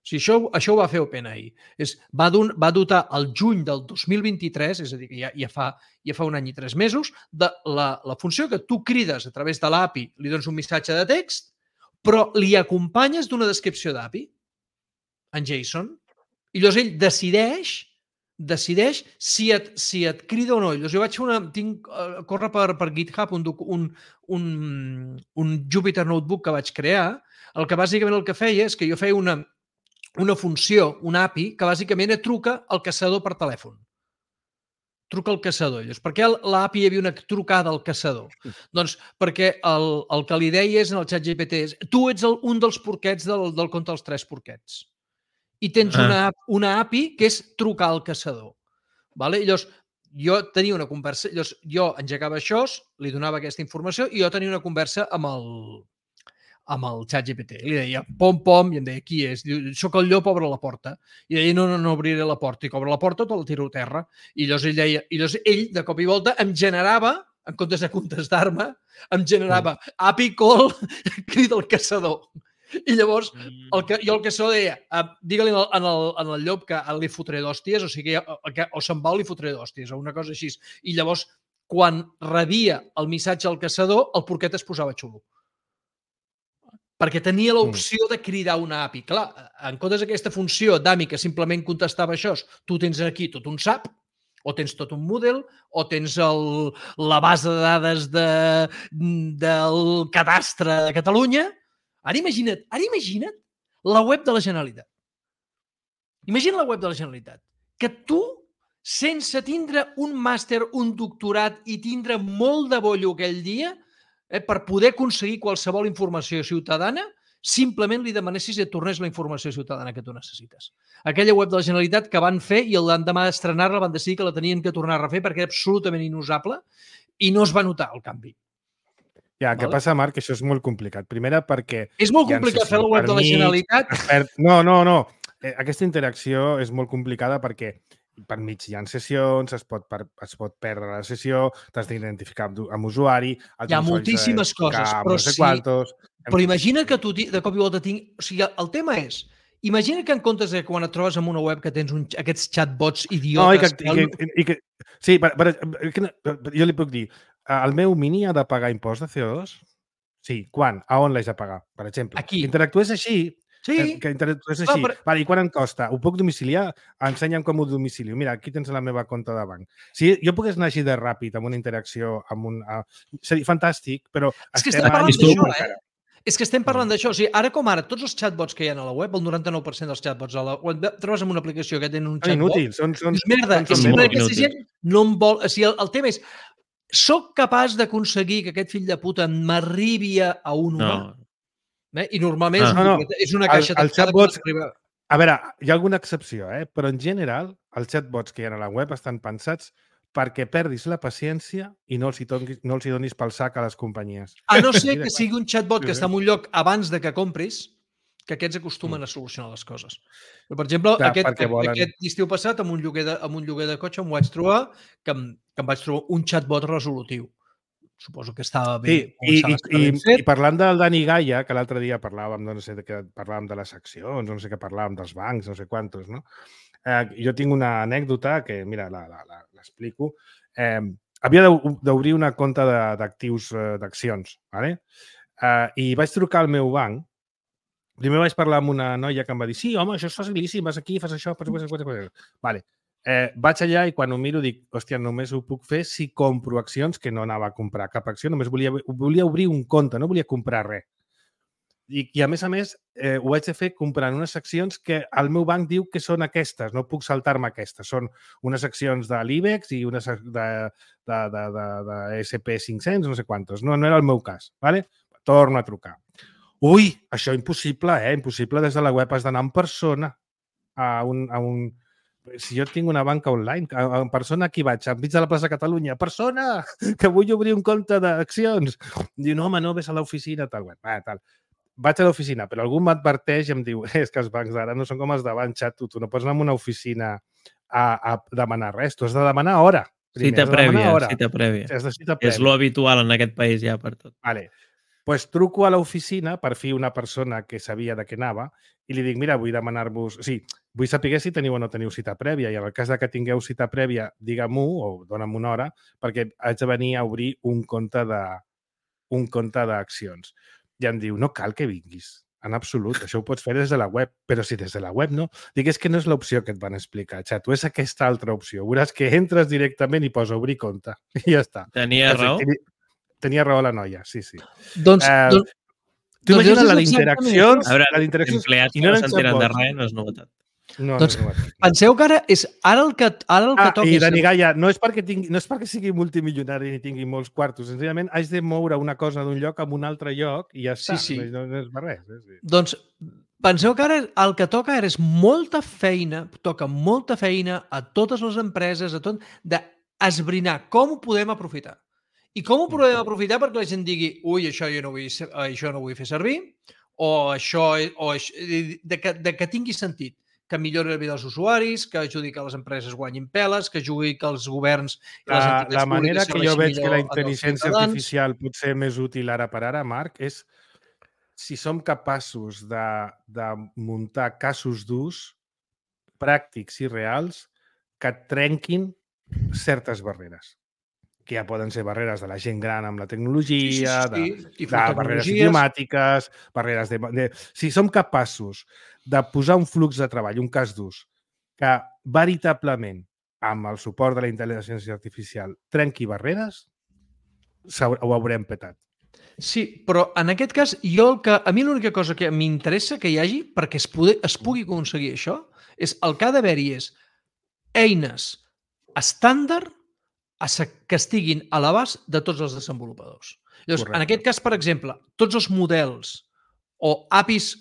O sigui, això, això ho va fer OpenAI. És, va, don, va dotar el juny del dos mil vint-i-tres, és a dir, que ja, ja, fa, ja fa un any i tres mesos, de la, la funció que tu crides a través de l'A P I, li dones un missatge de text, però li acompanyes d'una descripció d'A P I en JSON. I llavors ell decideix decideix si et, si et crida o no. Llavors jo vaig fer una... Tinc, uh, corre per, per GitHub un, un, un, un Jupyter Notebook que vaig crear el que bàsicament el que feia és que jo feia una, una funció, una A P I, que bàsicament et truca al caçador per telèfon. Truca al caçador. Llavors, per què l'A P I hi havia una trucada al caçador? Doncs perquè el, el que li deies en el xat G P T és tu ets el, un dels porquets del, del conte dels tres porquets. I tens Ah. una, una A P I que és trucar al caçador. Vale? Llavors, jo tenia una conversa, llavors jo engegava això, li donava aquesta informació i jo tenia una conversa amb el, amb el xat G P T. Li deia pom, pom, i em deia, qui és? Diu, soc el llop, obre la porta. I deia, no, no, no obriré la porta. I que obre la porta, tot el tiro a terra. I llavors ell deia, i llavors ell, de cop i volta, em generava, en comptes de contestar-me, em generava A P I call, crida al caçador. I llavors, el que, jo el caçador deia, uh, digue-li en, en, el, en el llop que li fotré d'hòsties, o sigui, que, o se'n va o li fotré d'hòsties, o una cosa així. I llavors, quan rebia el missatge al caçador, el porquet es posava xulo. Perquè tenia l'opció de cridar una A P I. Clar, en comptes d'aquesta funció d'A M I que simplement contestava això, tu tens aquí tot un S A P, o tens tot un model, o tens el, la base de dades de, del cadastre de Catalunya. Ara imagina't, ara imagina't la web de la Generalitat. Imagina la web de la Generalitat. Que tu, sense tindre un màster, un doctorat i tindre molt de bollo aquell dia, eh, per poder aconseguir qualsevol informació ciutadana, simplement li demanessis i et tornés la informació ciutadana que tu necessites. Aquella web de la Generalitat que van fer i l'endemà d'estrenar-la van decidir que la tenien que tornar a refer perquè era absolutament inusable i no es va notar el canvi. Ja, què Vale. passa, Marc? Això és molt complicat. Primera, perquè... És molt hi ha complicat fer sessions la web de la per mig, Generalitat. es perd- No, no, no. Eh, Aquesta interacció és molt complicada perquè per mig hi ha sessions, es pot, per, es pot perdre la sessió, t'has d'identificar amb, amb usuari... Hi ha moltíssimes coses, però no sé sí- quantos, Però imagina que tu de cop i volta tinc... O sigui, el tema és... Imagina que en comptes de quan et trobes en una web que tens un, aquests chatbots No, i idiotes... que, i que, i que, sí, per, per, per, jo li puc dir, el meu mini ha de pagar impost de C O dos? Sí. Quan? A on l'haig de pagar, per exemple? Aquí. Que interactués així, Sí, que, que interactués Clar, així. però- Vale, I quan em costa? Ho puc domiciliar? Ensenya'm com ho domicilio. Mira, aquí tens la meva compte de banc. Si jo pogués anar així de ràpid amb una interacció, amb un... Uh, seria fantàstic, però... És que estem estem a parlant mig d'això, encara. eh? És que estem parlant d'això. O sigui, ara com ara, tots els chatbots que hi ha a la web, el noranta-nou per cent dels chatbots, a la, quan trobes en una aplicació que tenen un Són chatbot, inútils. Són, són, dius, merda, són és molt simplement inútils. aquesta gent no em vol... O sigui, el, el tema és, soc capaç d'aconseguir que aquest fill de puta m'arribi a un humà? No. Eh? I normalment Ah. és, No, una, no. és una El- caixa el tancada chatbots- que arriba... A veure, hi ha alguna excepció, eh? Però en general els chatbots que hi ha a la web estan pensats perquè perdis la paciència i no els hi donis, no els hi donis pel sac a les companyies. A no ser Sí, de que clar. sigui un chatbot que Sí, sí. està en un lloc abans de que compris, que aquests acostumen a solucionar les coses. Però, per exemple, Clar, aquest, perquè volen- aquest estiu passat, amb un, lloguer de, amb un lloguer de cotxe, em vaig trobar que em, que em vaig trobar un chatbot resolutiu. Suposo que estava bé. Sí, i, començava i, a estar i, ben fet. i parlant del Dani Gaia, que l'altre dia parlàvem de, no sé, de, què, parlàvem de les accions, no sé què parlàvem dels bancs, no sé quantos, no? Eh, jo tinc una anècdota que, mira, la- la- la- l'explico. Eh, havia d'o- d'obrir una compte de- d'actius, eh, d'accions, ¿vale? Eh, i vaig trucar al meu banc. Primer vaig parlar amb una noia que em va dir sí, home, això és facilíssim, vas aquí, fas això, fas això, fas això. Vale. Eh, vaig allà i quan ho miro dic, hòstia, només ho puc fer si compro accions, que no anava a comprar cap acció, només volia, volia obrir un compte, no volia comprar res. I, i a més a més, eh, ho haig de fer comprant unes accions que el meu banc diu que són aquestes, no puc saltar-me aquestes. Són unes accions de l'IBEX i unes ac- de, de, de, de, de S and P cinc-cents, no sé quantos. No, no era el meu cas. Vale? Torno a trucar. Ui, això impossible, eh? Impossible. Des de la web has d'anar en persona a un, a un... Si jo tinc una banca online, en persona aquí vaig, enmig de la plaça Catalunya, persona, que vull obrir un compte d'accions. Diu, no, home, no, ves a l'oficina, tal. Bueno, va, tal. Vaig a l'oficina, però algú m'adverteix i em diu és que els bancs d'ara no són com els d'abans, xato, tu no pots anar a una oficina a, a demanar res, tu has de demanar hora. Primer, Cita has de demanar prèvia, hora. cita prèvia. Has de cita És prèvia. lo habitual en aquest país ja per tot. Vale. Pues truco a l'oficina, per fi una persona que sabia de què anava, i li dic, mira, vull demanar-vos... O sigui, vull saber si teniu o no teniu cita prèvia, i en el cas de que tingueu cita prèvia, digue-m'ho o dona'm una hora, perquè haig de venir a obrir un compte de un compte d'accions. I em diu, no cal que vinguis, en absolut, això ho pots fer des de la web, però si des de la web no, dic, és que no és l'opció que et van explicar, xato, és aquesta altra opció. Veuràs que entres directament i posa obrir compte, i ja està. Tenia raó? Tenia raó la noia, sí, sí. Doncs, Eh, doncs Tu Doncs imagina't és la exactament d'interaccions... A veure, la d'interaccions empleats i que no no eren s'entenen de chatbots. res no és novetat. No, Doncs no és novetat. penseu que ara és ara el que, ara el que Ah, toca... i és- Dani Gaia, no és perquè tingui, no és perquè sigui multimilionari ni tingui molts quartos, senzillament haig de moure una cosa d'un lloc a un altre lloc i ja Sí, està. sí. No, no és per res. Eh? Sí. Doncs penseu que ara el que toca ara és molta feina, toca molta feina a totes les empreses, a tot, d'esbrinar com ho podem aprofitar. I com ho podem aprofitar perquè la gent digui ui, això jo no vull, ser- això no vull fer servir, o això, o això de, que, de que tingui sentit, que millori la vida dels usuaris, que ajudi que les empreses guanyin peles, que ajudi que els governs i les La, entitats la manera públiques que jo serveixin veig que la millor als intel·ligència ciutadans. artificial pot ser més útil ara per ara, Marc, és si som capaços de, de muntar casos d'ús pràctics i reals que trenquin certes barreres, que ja poden ser barreres de la gent gran amb la tecnologia, Sí, sí, sí, sí. de, de barreres Tecnologies. idiomàtiques, barreres de, de... Si som capaços de posar un flux de treball, un cas d'ús, que veritablement, amb el suport de la intel·ligència artificial, trenqui barreres, s'hau- ho haurem petat. Sí, però en aquest cas, jo el que, a mi l'única cosa que m'interessa que hi hagi perquè es, pugui, es pugui aconseguir això és el que ha d'haver-hi és eines estàndard a se- que estiguin a l'abast de tots els desenvolupadors. Llavors, Correcte. en aquest cas, per exemple, tots els models o A P Is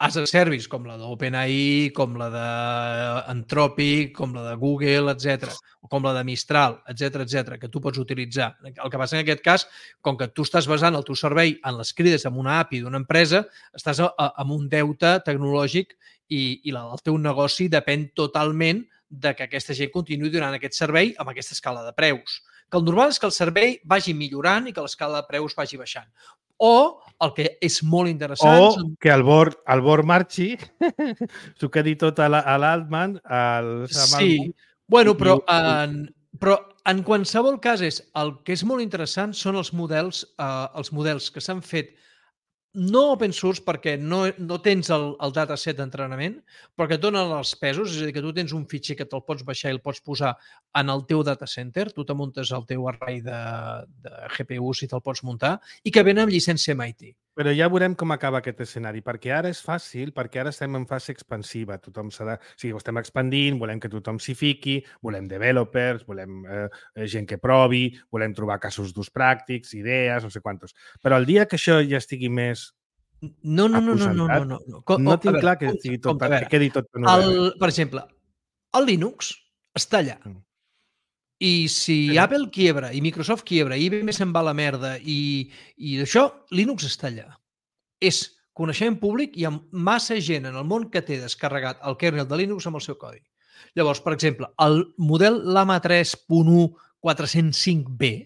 as a service, com la d'OpenAI, com la d'Anthropic, com la de Google, etcètera, o com la de Mistral, etcètera, etcètera, que tu pots utilitzar. El que passa en aquest cas, com que tu estàs basant el teu servei en les crides amb una A P I d'una empresa, estàs a, a, amb un deute tecnològic i, i la, el teu negoci depèn totalment de que aquesta gent continuï donant aquest servei amb aquesta escala de preus. Que el normal és que el servei vagi millorant i que l'escala de preus vagi baixant. O, el que és molt interessant... O són- que el bord, el bord marxi, s'ho quedi tot a la- a l'Altman, al Sam Sí, Altman, bueno, i- però i- en, però en qualsevol cas és, el que és molt interessant són els models, eh, els models que s'han fet no open source perquè no, no tens el, el dataset d'entrenament, però que et donen els pesos, és a dir, que tu tens un fitxer que te'l pots baixar i el pots posar en el teu data center, tu te muntes el teu array de, de G P Us i te'l pots muntar, i que venen amb llicència M I T. Però ja veurem com acaba aquest escenari, perquè ara és fàcil, perquè ara estem en fase expansiva. Tothom s'ha de... O sigui, ho estem expandint, volem que tothom s'hi fiqui, volem developers, volem eh, gent que provi, volem trobar casos d'ús pràctics, idees, no sé quantos. Però el dia que això ja estigui més No, no, no, no, no, no, aposentat, no. no. Com- no a tinc veure, clar que, compte, estigui tot, compte, a per- veure. que quedi tot per novel·la. El, per exemple, el Linux està allà. Mm. I si Sí. Apple quiebra i Microsoft quiebra i I B M se'n va a la merda i, i d'això, Linux està allà. És coneixement públic i hi ha massa gent en el món que té descarregat el kernel de Linux amb el seu codi. Llavors, per exemple, el model Llama tres punt u quatre-cents cinc B,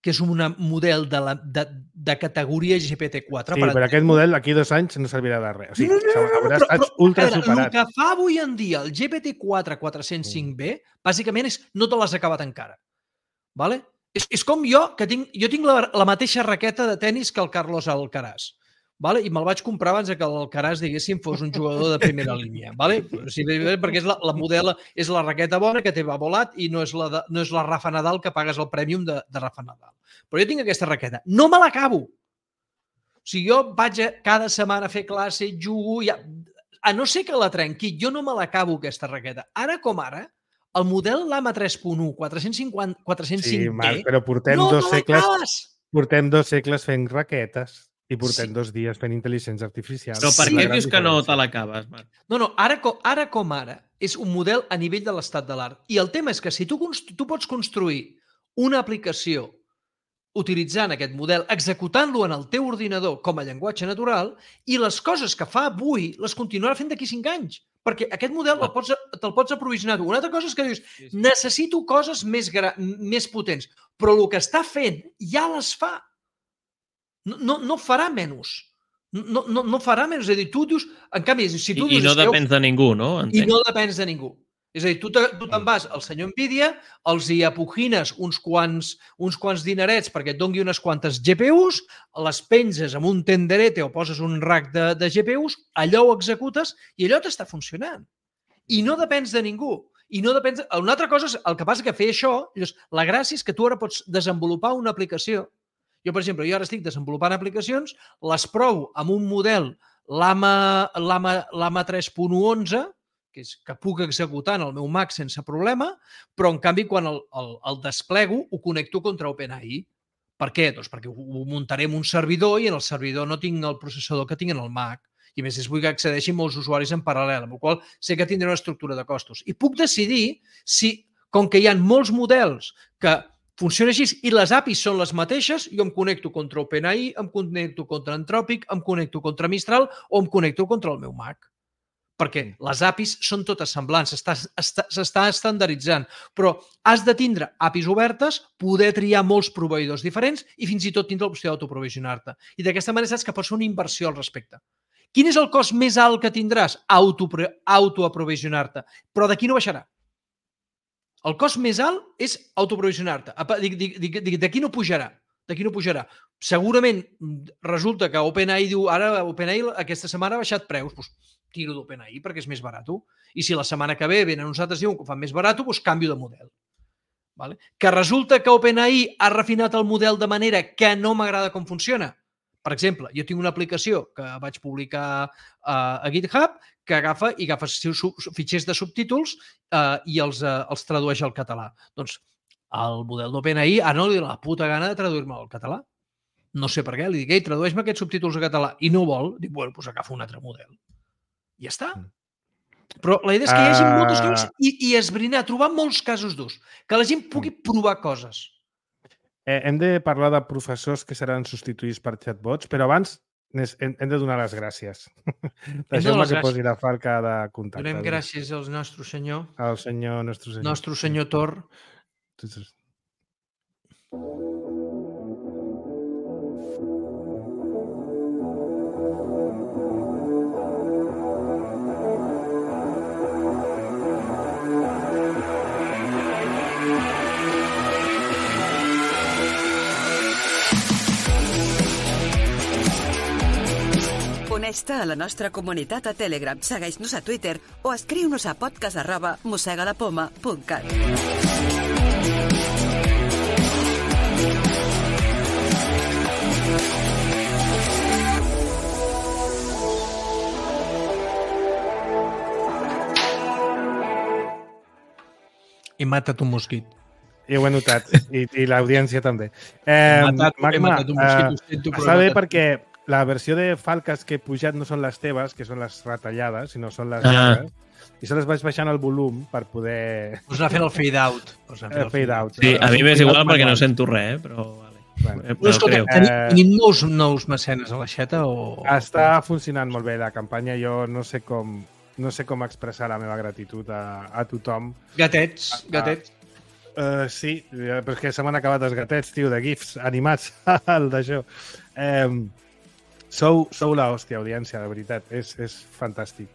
que és un model de, la, de, de categoria G P T quatre... Sí, però aquest model aquí dos anys no servirà de res. O sigui, No, no, no, no, haurà però- estat però, ultra a veure, superat. El que fa avui en dia el G P T quatre quatre-cents cinc B, bàsicament és no te l'has acabat encara. Vale? És, és com jo, que tinc, jo tinc la, la mateixa raqueta de tennis que el Carlos Alcaraz. Vale? I me'l vaig comprar abans que l'Alcaraz, diguéssim, fos un jugador de primera línia. Vale? Sí, perquè és la, la modela, és la raqueta bona que té va volat i no és, la de, no és la Rafa Nadal que pagues el prèmium de, de Rafa Nadal. Però jo tinc aquesta raqueta. No me l'acabo. O sigui, jo vaig a, cada setmana a fer classe, jugo... Ja, a no ser que la trenqui, jo no me l'acabo, aquesta raqueta. Ara com ara, el model Llama tres punt u quatre-cents cinquanta, quatre-cents cinc B... Sí, Marc, però portem no dos te segles, l'acabes! portem dos segles fent raquetes i portem Sí. dos dies fent intel·ligència artificial. Però per És la què gran dius que no diferència. te l'acabes, Marc? No, no, ara com, ara com ara és un model a nivell de l'estat de l'art. I el tema és que si tu, const- tu pots construir una aplicació utilitzant aquest model, executant-lo en el teu ordinador com a llenguatge natural, i les coses que fa avui les continuarà fent d'aquí cinc anys. Perquè aquest model el pots, te'l pots aprovisionar tu. Una altra cosa és que dius, necessito coses més, gra més potents, però el que està fent ja les fa. No, no, no farà menys. No, no, no farà menys. És a dir, tu dius... En canvi, si tu I, I dius... no "Esteu- depens de ningú, no? I Entenc. no depens de ningú. És a dir, tu te- tu te'n vas al senyor Nvidia, els hi apugines uns quants, uns quants dinerets perquè et dongui unes quantes G P Us, les penges amb un tenderete o poses un rack de, de G P Us, allò ho executes i allò t'està funcionant. I no depens de ningú. I no depens... Una altra cosa és, el que passa que fer això, llavors, la gràcia és que tu ara pots desenvolupar una aplicació Jo, per exemple, jo ara estic desenvolupant aplicacions, les provo amb un model l'A M A tres punt onze, que és que puc executar en el meu Mac sense problema, però en canvi quan el, el, el desplego ho connecto contra OpenAI. Per què? Doncs perquè ho muntaré en un servidor i en el servidor no tinc el processador que tinc en el Mac. I a més, vull que accedeixin molts usuaris en paral·lel, amb el qual sé que tindré una estructura de costos. I puc decidir si, com que hi ha molts models que funcionen així i les A P Is són les mateixes, jo em connecto contra OpenAI, em connecto contra Anthropic, em connecto contra Mistral o em connecto contra el meu Mac. Perquè les A P Is són totes semblants, s'està estandarditzant, però has de tindre A P Is obertes, poder triar molts proveïdors diferents i fins i tot tindre l'opció d'autoprovisionar-te. I d'aquesta manera saps que pots fer una inversió al respecte. Quin és el cost més alt que tindràs? Autoaprovisionar-te. Però d'aquí no baixarà. El cost més alt és autoprovisionar-te. D'aquí no pujarà. D'aquí no pujarà. Segurament resulta que OpenAI diu ara OpenAI aquesta setmana ha baixat preus. Doncs tiro d'OpenAI perquè és més barat. I si la setmana que ve venen uns altres diuen que ho fan més barat, doncs canvio de model. Vale? Que resulta que OpenAI ha refinat el model de manera que no m'agrada com funciona. Per exemple, jo tinc una aplicació que vaig publicar uh, a GitHub que agafa i agafa fitxers de subtítols uh, i els, uh, els tradueix al català. Doncs el model d'OpenAI ara no li dona la puta gana de traduir-me al català. No sé per què. Li dic, ei, tradueix-me aquests subtítols a català. I no vol. Dic, bueno, doncs agafa un altre model. I ja està. Però la idea és que hi hagi moltes coses i, i esbrinar, trobar molts casos d'ús. Que la gent pugui provar coses. Eh, hem de parlar de professors que seran substituïts per chatbots, però abans hem, hem de donar les gràcies. Deixeu-me que posi la falca de contacte. Donem gràcies al nostre senyor. Al senyor, nostre senyor. Nostre senyor Tor. Uneix-te a la nostra comunitat a Telegram, segueix-nos a Twitter o escriu-nos a podcast arroba mosegalapoma punt cat. He matat un mosquit. I ho he notat, i, i l'audiència també. Eh, he matat, Magma, he matat un mosquit. Eh, sento, està bé perquè la versió de falques que he pujat no són les teves, que són les retallades, sinó són les llargues. Ah. I se les vaig baixant el volum per poder... Us anar fent el fade-out. El fade-out. Sí, a mi m'és igual perquè no sento res, eh? però... Bueno, però escolta, tenim, tenim nous, nous mecenes a l'aixeta o... Està funcionant molt bé la campanya. Jo no sé com, no sé com expressar la meva gratitud a, a tothom. Gatets, gatets. Uh, sí, però és que se m'han acabat els gatets, tio, de gifs animats, el d'això. Um, sou, sou la hòstia, audiència, de veritat. És, és fantàstic.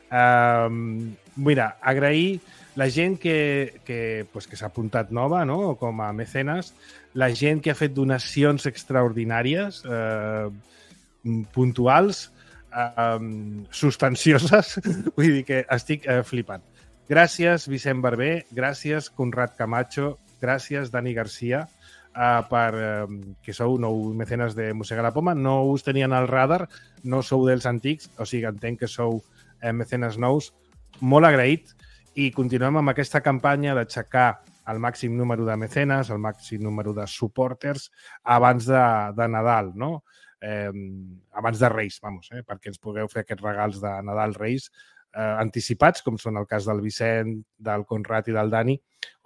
Um, mira, agrair la gent que, que, pues, que s'ha apuntat nova, no?, com a mecenes, la gent que ha fet donacions extraordinàries, eh, puntuals, eh, substancioses, vull dir que estic eh, flipant. Gràcies, Vicent Barber, gràcies, Conrad Camacho, gràcies, Dani Garcia, eh, per, eh, que sou nou mecenes de Mossega la Poma. No us tenien al radar, no sou dels antics, o sigui, entenc que sou eh, mecenes nous. Molt agraït i continuem amb aquesta campanya d'aixecar el màxim número de mecenes, el màxim número de supporters abans de, de Nadal, no? Eh, abans de Reis, vamos, eh, perquè ens pugueu fer aquests regals de Nadal Reis eh, anticipats, com són el cas del Vicent, del Conrad i del Dani,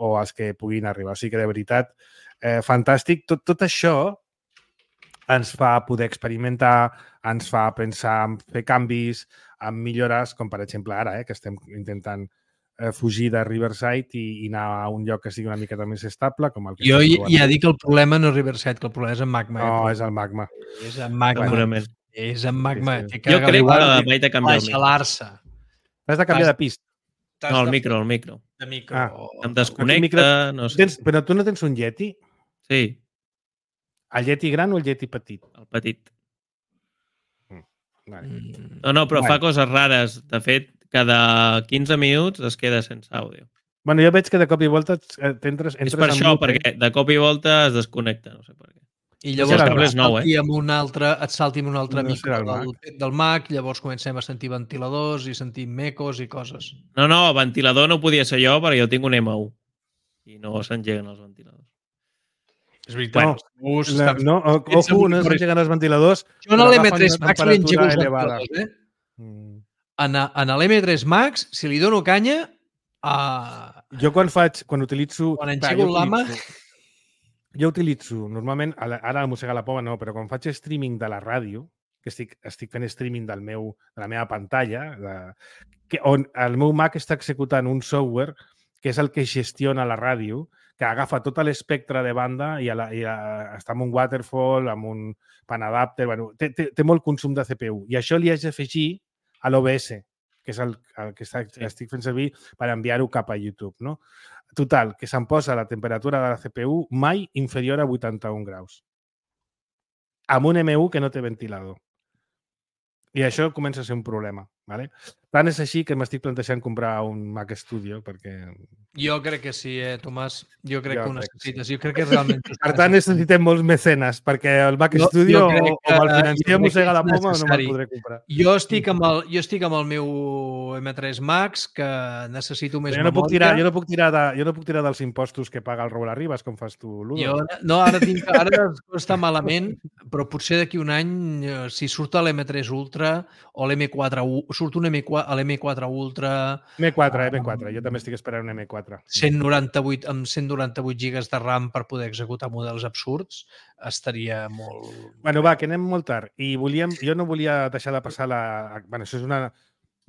o els que puguin arribar. O sigui que, de veritat, eh, fantàstic. Tot, tot això ens fa poder experimentar, ens fa pensar en fer canvis, en millores, com per exemple ara, eh, que estem intentant eh, fugir de Riverside i, i anar a un lloc que sigui una miqueta més estable. Com el que jo ja dic que el problema no és Riverside, que el problema és en Magma. No, eh? és el Magma. És en Magma. Segurament. És en Magma. Sí, sí. Jo crec que vaig de canviar el micro. Has de canviar de pista. No, el micro, el micro. De micro. Ah. Em desconnecta, micro... no sé. Tens, però tu no tens un Yeti? Sí. El Yeti gran o el Yeti petit? El petit. Mm. Vale. No, no, però vale. Fa coses rares. De fet, cada quinze minuts es queda sense àudio. Bueno, jo veig que de cop i volta t'entres... És per això, perquè de cop i volta es desconnecta, no sé per què. I No, llavors el cable és et nou, salti amb un altre, et salti amb un altre No micro serà el del, Mac. del Mac, llavors comencem a sentir ventiladors i sentim ecos i coses. No, no, ventilador no podia ser jo perquè jo tinc un M u i no s'engeguen els ventiladors. És veritat. No, la, no, o- ojo, no s'engeguen els ventiladors. Jo en però l'M agafen tres una Max li engego temperatura els elevada. ventiladors, eh? Mm. En, en l'M tres Max, si li dono canya, uh, Jo quan faig, quan utilitzo... quan clar, engego jo l'ama... utilitzo- Jo utilitzo, normalment, a la- ara a Mossega la Poma no, però quan faig streaming de la ràdio, que estic, estic fent streaming del meu, de la meva pantalla, de, que, on el meu Mac està executant un software que és el que gestiona la ràdio, que agafa tot l'espectre de banda i, a la, i a, està amb un waterfall, amb un pan adapter, bueno, té, té, té molt consum de C P U. I això li haig d'afegir a l'O B S, que és el, el que està, estic fent servir per enviar-ho cap a YouTube, no? Total, que se'm posa la temperatura de la C P U mai inferior a vuitanta-un graus. Amb un M u que no té ventilador. I això comença a ser un problema. ¿vale? Tant és així que m'estic plantejant comprar un Mac Studio perquè... Jo crec que sí, eh, Tomàs. Jo crec Jo que ho crec que necessites. Jo crec que realment... Per tant, necessitem molts mecenes perquè el Mac Jo- Studio jo o, crec o que- me'l jo financiem crec que mossega la és poma o no me'l necessari. podré comprar. Jo estic amb el, jo estic amb el meu M tres Max, que necessito més Jo no, puc memòria. tirar, jo, no puc tirar de, jo no puc tirar dels impostos que paga el Raül Arribas, com fas tu, Ludo. Jo, no, ara tinc, ara està malament, però potser d'aquí un any, eh, si surt l'M tres Ultra o l'M quatre, U- surt un M quatre, l'M quatre Ultra M quatre, eh, M quatre. Jo també estic esperant un M quatre. cent noranta-vuit, amb cent noranta-vuit gigas de RAM per poder executar models absurds, estaria molt... Bueno, va, que anem molt tard. I volíem, jo no volia deixar de passar la... Bueno, això és una...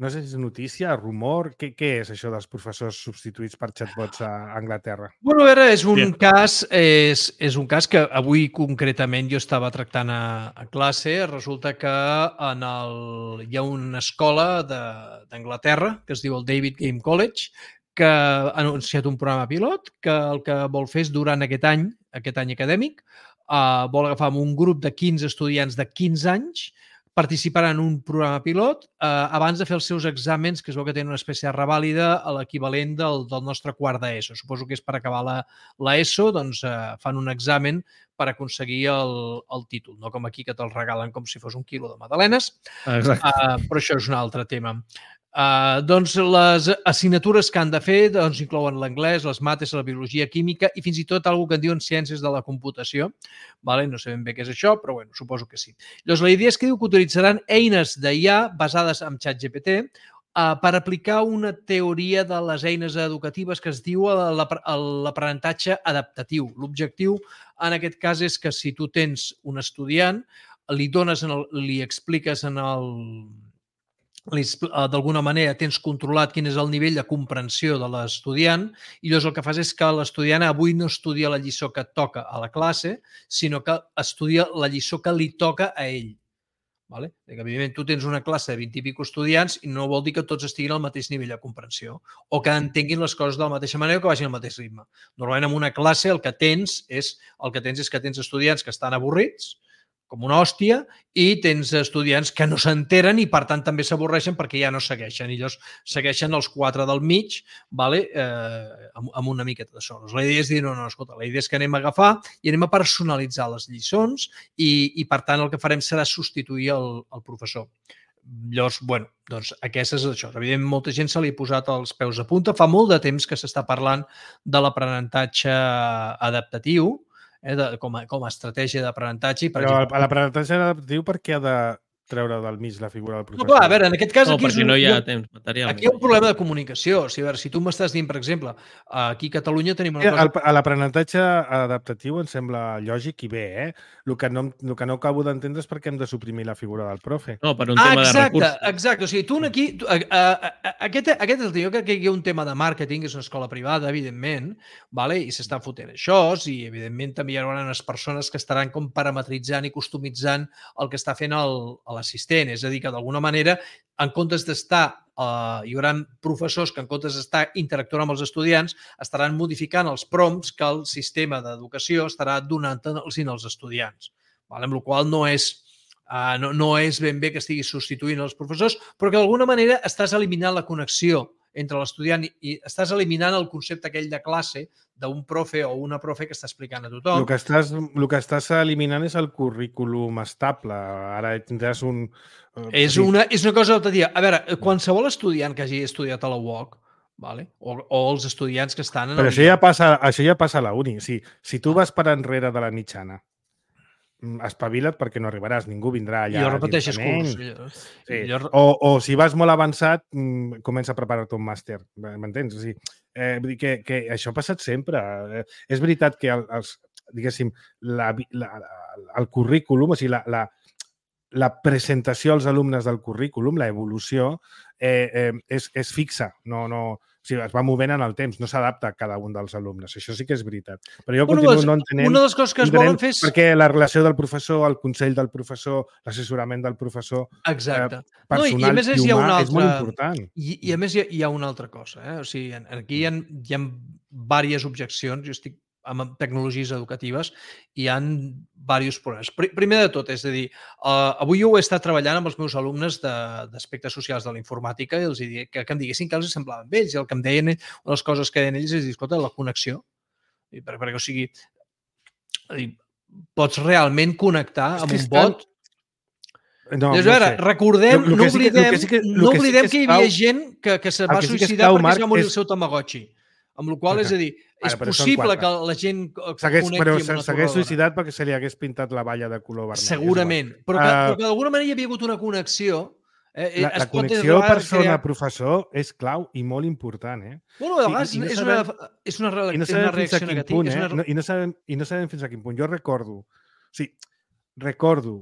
No sé si és notícia, rumor... Què, què és això dels professors substituïts per chatbots a Anglaterra? Bueno, a veure, és un Bien. cas, és, és un cas que avui concretament jo estava tractant a, a classe. Resulta que en el, hi ha una escola de- d'Anglaterra que es diu el David Game College, que ha anunciat un programa pilot que el que vol fer és durant aquest any, aquest any acadèmic, eh, vol agafar amb un grup de quinze estudiants de quinze anys, participar en un programa pilot eh, abans de fer els seus exàmens, que es veu que tenen una espècie de revàlida a l'equivalent del, del nostre quart d'ESO. Suposo que és per acabar la, la ESO, doncs eh, fan un examen per aconseguir el, el títol. No com aquí que te'l regalen com si fos un quilo de magdalenes, Exacte. uh, però això és un altre tema. Uh, doncs les assignatures que han de fer doncs, inclouen l'anglès, les mates, la biologia, química i fins i tot alguna que en diuen ciències de la computació. Vale? No sé ben bé què és això, però bueno, suposo que sí. Llavors, la idea és que diu que utilitzaran eines d'I A basades en ChatGPT uh, per aplicar una teoria de les eines educatives que es diu l'ap- l'aprenentatge adaptatiu. L'objectiu, en aquest cas, és que si tu tens un estudiant, li dones, en el, li expliques en el li expl- eh, d'alguna manera tens controlat quin és el nivell de comprensió de l'estudiant i llavors el que fas és que l'estudiant avui no estudia la lliçó que toca a la classe, sinó que estudia la lliçó que li toca a ell. Vale? Que, evidentment, tu tens una classe de vint i pico estudiants i no vol dir que tots estiguin al mateix nivell de comprensió o que entenguin les coses de la mateixa manera o que vagin al mateix ritme. Normalment, en una classe el que tens és el que tens és que tens estudiants que estan avorrits, com una hòstia, i tens estudiants que no s'enteren i, per tant, també s'avorreixen perquè ja no segueixen. I llavors segueixen els quatre del mig, vale? eh, amb, amb una miqueta de solos. La idea és dir, no, no, escolta, la idea és que anem a agafar i anem a personalitzar les lliçons i, i per tant, el que farem serà substituir el, el professor. Llavors, bueno, doncs aquesta és això. Evidentment, molta gent se li ha posat els peus a punta. Fa molt de temps que s'està parlant de l'aprenentatge adaptatiu, eh, de, com, a, com a estratègia d'aprenentatge. i, per Però exemple, l'aprenentatge adaptatiu per què ha de treure del mig la figura del No, professor? clar, a veure, en aquest cas No, aquí és perquè un, no hi ha jo- temps material. aquí hi ha un problema de comunicació. O sigui, a veure, si tu m'estàs dient, per exemple, aquí a Catalunya tenim una Sí, cosa... el- a l'aprenentatge adaptatiu em sembla lògic i bé, eh? El que no, el que no acabo d'entendre és per què hem de suprimir la figura del profe. No, per un Ah, tema de exacte, recursos. exacte. O sigui, tu aquí... Tu, a, a, a, aquest, aquest és el tema. Jo crec que hi ha un tema de màrqueting, és una escola privada, evidentment, vale? I s'estan fotent això, i evidentment també hi haurà unes persones que estaran com parametritzant i customitzant el que està fent el- l'assistent. És a dir, que d'alguna manera, en comptes d'estar, eh, hi haurà professors que en comptes d'estar interactuant amb els estudiants, estaran modificant els prompts que el sistema d'educació estarà donant als als estudiants. Vale? Amb la qual cosa no és Uh, no, no és ben bé que estiguis substituint els professors, però que d'alguna manera estàs eliminant la connexió entre l'estudiant i estàs eliminant el concepte aquell de classe d'un profe o una profe que està explicant a tothom. El que estàs, el que estàs eliminant és el currículum estable. Ara tindràs un... És una, és una cosa altra dia. A veure, qualsevol estudiant que hagi estudiat a la U O C, vale? o, o els estudiants que estan... En Però el... això ja passa, això ja passa a la uni. Si, si tu vas per enrere de la mitjana, espavila't perquè no arribaràs, ningú vindrà allà. I ho repeteixes curs. Sí. O, o si vas molt avançat, comença a preparar-te un màster, m'entens? O sigui, eh, vull dir que, que això ha passat sempre. Eh, és veritat que el, els, diguéssim, la, la, el currículum, o sigui, la, la, la presentació als alumnes del currículum, la evolució, eh, eh, és, és fixa, no... no o sigui, es va movent en el temps, no s'adapta a cada un dels alumnes. Això sí que és veritat. Però jo bueno, continuo no entenent... Una de les coses que es volen fer és... Perquè la relació del professor, el consell del professor, l'assessorament del professor... Exacte. Eh, personal no, i, a més és, i humà altra... és molt important. I, I a més hi ha, hi ha una altra cosa. Eh? O sigui, aquí hi ha, hi ha diverses objeccions. Jo estic amb tecnologies educatives i hi ha diversos problemes. Primer de tot, és a dir, uh, avui jo he estat treballant amb els meus alumnes d'aspectes socials de la informàtica i els he dit que, que em diguessin que els semblaven vells i el que em deien, una de les coses que deien ells és dir, escolta, la connexió. I per, perquè, o sigui, dir, pots realment connectar amb un bot. No, Llavors, no veure, sé. recordem, lo, lo no oblidem, que sí que, no oblidem que, sí que, que hi havia clau, gent que, que se va que suïcidar sí que perquè Marc, es va morir és... el seu Tamagotchi. Amb la qual cosa, és a dir, és Ara, possible que la gent segueix, connecti però amb una s'hagués suïcidat perquè se li hagués pintat la valla de color vermell. Segurament, però que, uh, però que d'alguna manera hi havia hagut una connexió. Eh, la la connexió persona-professor crear... és clau i molt important. Eh? Bueno, a vegades I, i no és, sabem, una, és una, re, no és una reacció negativa. Punt, eh? una... I, no sabem, I no sabem fins a quin punt. Jo recordo, o sigui, recordo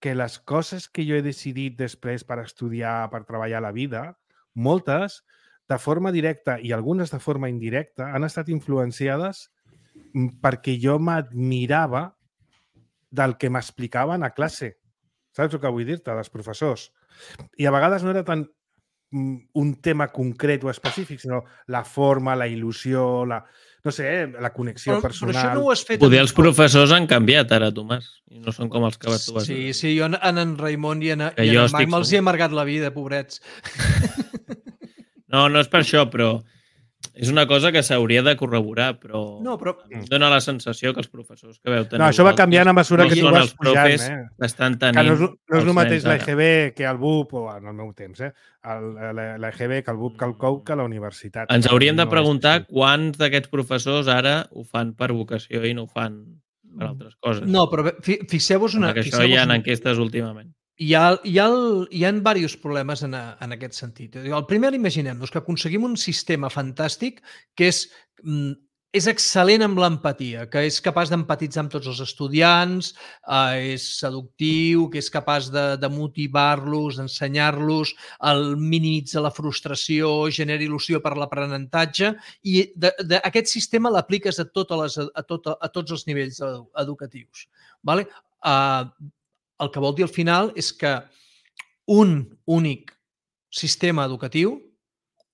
que les coses que jo he decidit després per estudiar, per treballar a la vida, moltes de forma directa i algunes de forma indirecta, han estat influenciades perquè jo m'admirava del que m'explicaven a classe. Saps el que vull dir-te, dels professors? I a vegades no era tant un tema concret o específic, sinó la forma, la il·lusió, la, no sé, la connexió però, personal. Però això no ho has fet... Poder els professors han canviat ara, Tomàs, i no són com els que vas tu. Sí, sí, jo en en Raimon i en, i en Marc me'ls he amargat la vida, pobrets. No, no és per això, però és una cosa que s'hauria de corroborar, però, no, però... dona la sensació que els professors que veu tenir... No, això va canviant a mesura no que tu vas pujant, eh? Estan tenint... Que no és, no és el mateix l'E G B que el B U P, o en el meu temps, eh? L'E G B que el B U P que el C O U que la universitat. Ens hauríem de preguntar no quants d'aquests professors ara ho fan per vocació i no ho fan per altres coses. No, però fixeu-vos una... Perquè això hi ha enquestes últimament. Hi ha, hi ha, hi ha diversos problemes en, a, en aquest sentit. El primer, imaginem-nos que aconseguim un sistema fantàstic que és, és excel·lent amb l'empatia, que és capaç d'empatitzar amb tots els estudiants, eh, és seductiu, que és capaç de, de motivar-los, d'ensenyar-los, minimitza la frustració, genera il·lusió per l'aprenentatge, i de, de, aquest sistema l'apliques a, totes les, a, tot, a tots els nivells educatius. Vale? Uh, El que vol dir al final és que un únic sistema educatiu,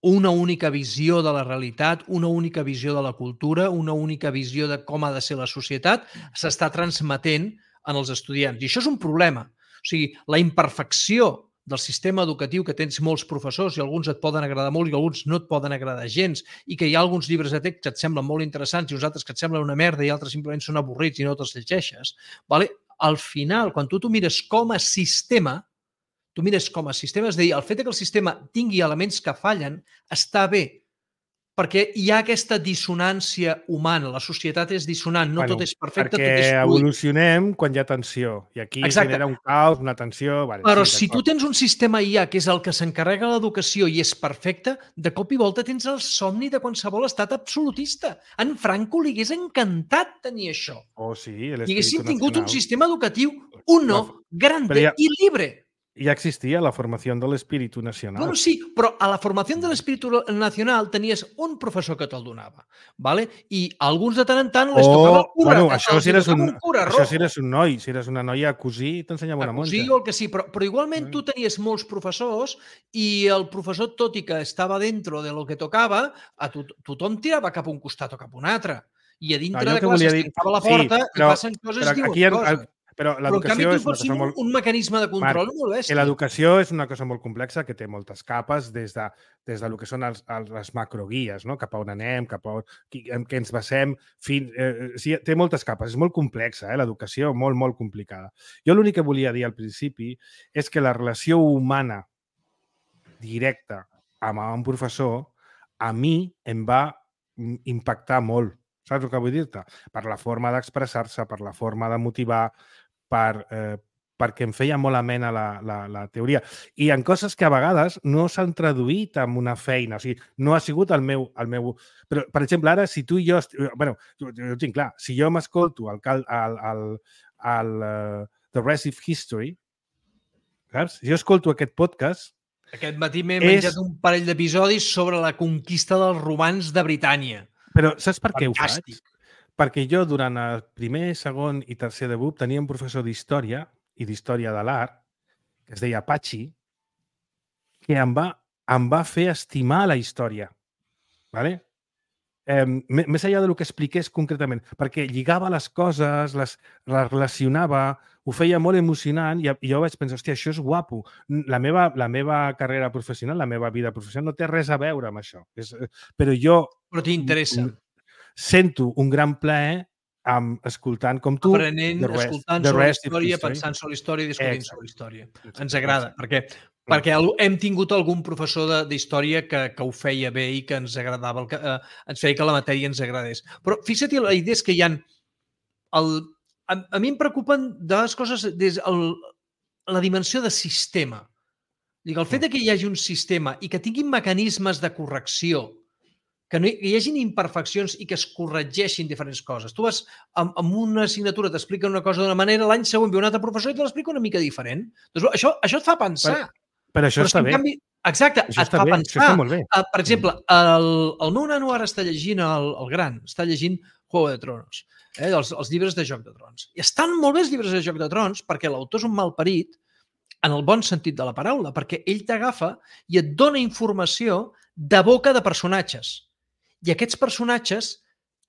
una única visió de la realitat, una única visió de la cultura, una única visió de com ha de ser la societat, s'està transmetent en els estudiants. I això és un problema. O sigui, la imperfecció del sistema educatiu, que tens molts professors i alguns et poden agradar molt i alguns no et poden agradar gens, i que hi ha alguns llibres de text que et semblen molt interessants i uns altres que et semblen una merda i altres simplement són avorrits i no te'ls llegeixes, vale? Al final, quan tu t'ho mires com a sistema, tu mires com a sistema, és a dir, el fet que el sistema tingui elements que fallen està bé, perquè hi ha aquesta dissonància humana. La societat és dissonant, no bueno, tot és perfecte, tot és fluid. Perquè evolucionem quan hi ha tensió, i aquí Exacte. genera un caos, una tensió... Vale, Però sí, si tu tens un sistema I A que és el que s'encarrega de l'educació i és perfecte, de cop i volta tens el somni de qualsevol estat absolutista. En Franco li hagués encantat tenir això. Oh, sí, I haguéssim tingut un sistema educatiu uno, grande ja... i libre. Ja existia la formació de l'espíritu nacional. Bueno, sí, però a la formació de l'espíritu nacional tenies un professor que te'l donava, ¿vale? I alguns de tant en tant les oh, tocava el cura. Bueno, això si eres un, un cura això si eres un noi, si eres una noia a cosir, t'ensenyava una monja. A cosir o el que sí, però, però igualment tu tenies molts professors i el professor, tot i que estava dentro de lo que tocava, a to tothom tirava cap a un costat o cap a un altre. I a dintre no, de classes dir... tancava la porta sí, però, i passen coses i diuen ha, coses. Però Però en canvi l'educació tu és una pots tenir cosa un, molt... un mecanisme de control Marc, molt que bèstia. l'educació és una cosa molt complexa que té moltes capes des de, des de lo que són els, els, les macroguies, no? Cap a on anem, cap a on, qui, en què ens basem, fins, eh, sí, té moltes capes, és molt complexa, eh, l'educació, molt, molt complicada. Jo l'únic que volia dir al principi és que la relació humana directa amb un professor a mi em va impactar molt. Saps el que vull dir-te? Per la forma d'expressar-se, per la forma de motivar, per, eh, perquè em feia molt amena la, la, la teoria. I en coses que a vegades no s'han traduït en una feina. O sigui, no ha sigut el meu... El meu... Però, per exemple, ara, si tu i jo... Est... bueno, jo, jo ho tinc clar. Si jo m'escolto el, el, el, el uh, The Rest of History, saps? Si jo escolto aquest podcast... Aquest matí m'he és... menjat un parell d'episodis sobre la conquista dels romans de Britània. Però saps per què Fantàstic. ho faig? Perquè jo, durant el primer, segon i tercer de B U P, tenia un professor d'història i d'història de l'art, que es deia Pachi, que em va, em va fer estimar la història. ¿Vale? Eh, més enllà del que expliqués concretament, perquè lligava les coses, les, les relacionava, ho feia molt emocionant i, i jo vaig pensar, hòstia, això és guapo. La meva, la meva carrera professional, la meva vida professional no té res a veure amb això. És, però jo... Però t'interessa. Sento un gran plaer amb, escoltant com tu... Aprenent, rest, escoltant sobre la història, pensant sobre la història i discutint sobre la història. Ens agrada, perquè, perquè hem tingut algun professor d'història que, que ho feia bé i que ens agradava, que, eh, ens feia que la matèria ens agradés. Però fixa't, la idea és que hi ha... El, a, a mi em preocupen de les coses des el, la dimensió de sistema. Dic, el fet de que hi hagi un sistema i que tinguin mecanismes de correcció, que no hi, hi hagin imperfeccions i que es corregeixin diferents coses. Tu vas amb, amb una assignatura, t'explica una cosa d'una manera, l'any següent ve un altre professor i te l'explica una mica diferent. Doncs això, això et fa pensar. Per, per això però està si bé. Canvi, exacte, això et fa bé, pensar. Està molt bé. Uh, per exemple, el, el meu nano ara està llegint, el, el gran, està llegint Juego de Tronos, eh, els, els llibres de Joc de Trons. I estan molt bé els llibres de Joc de Trons perquè l'autor és un malparit en el bon sentit de la paraula, perquè ell t'agafa i et dona informació de boca de personatges. I aquests personatges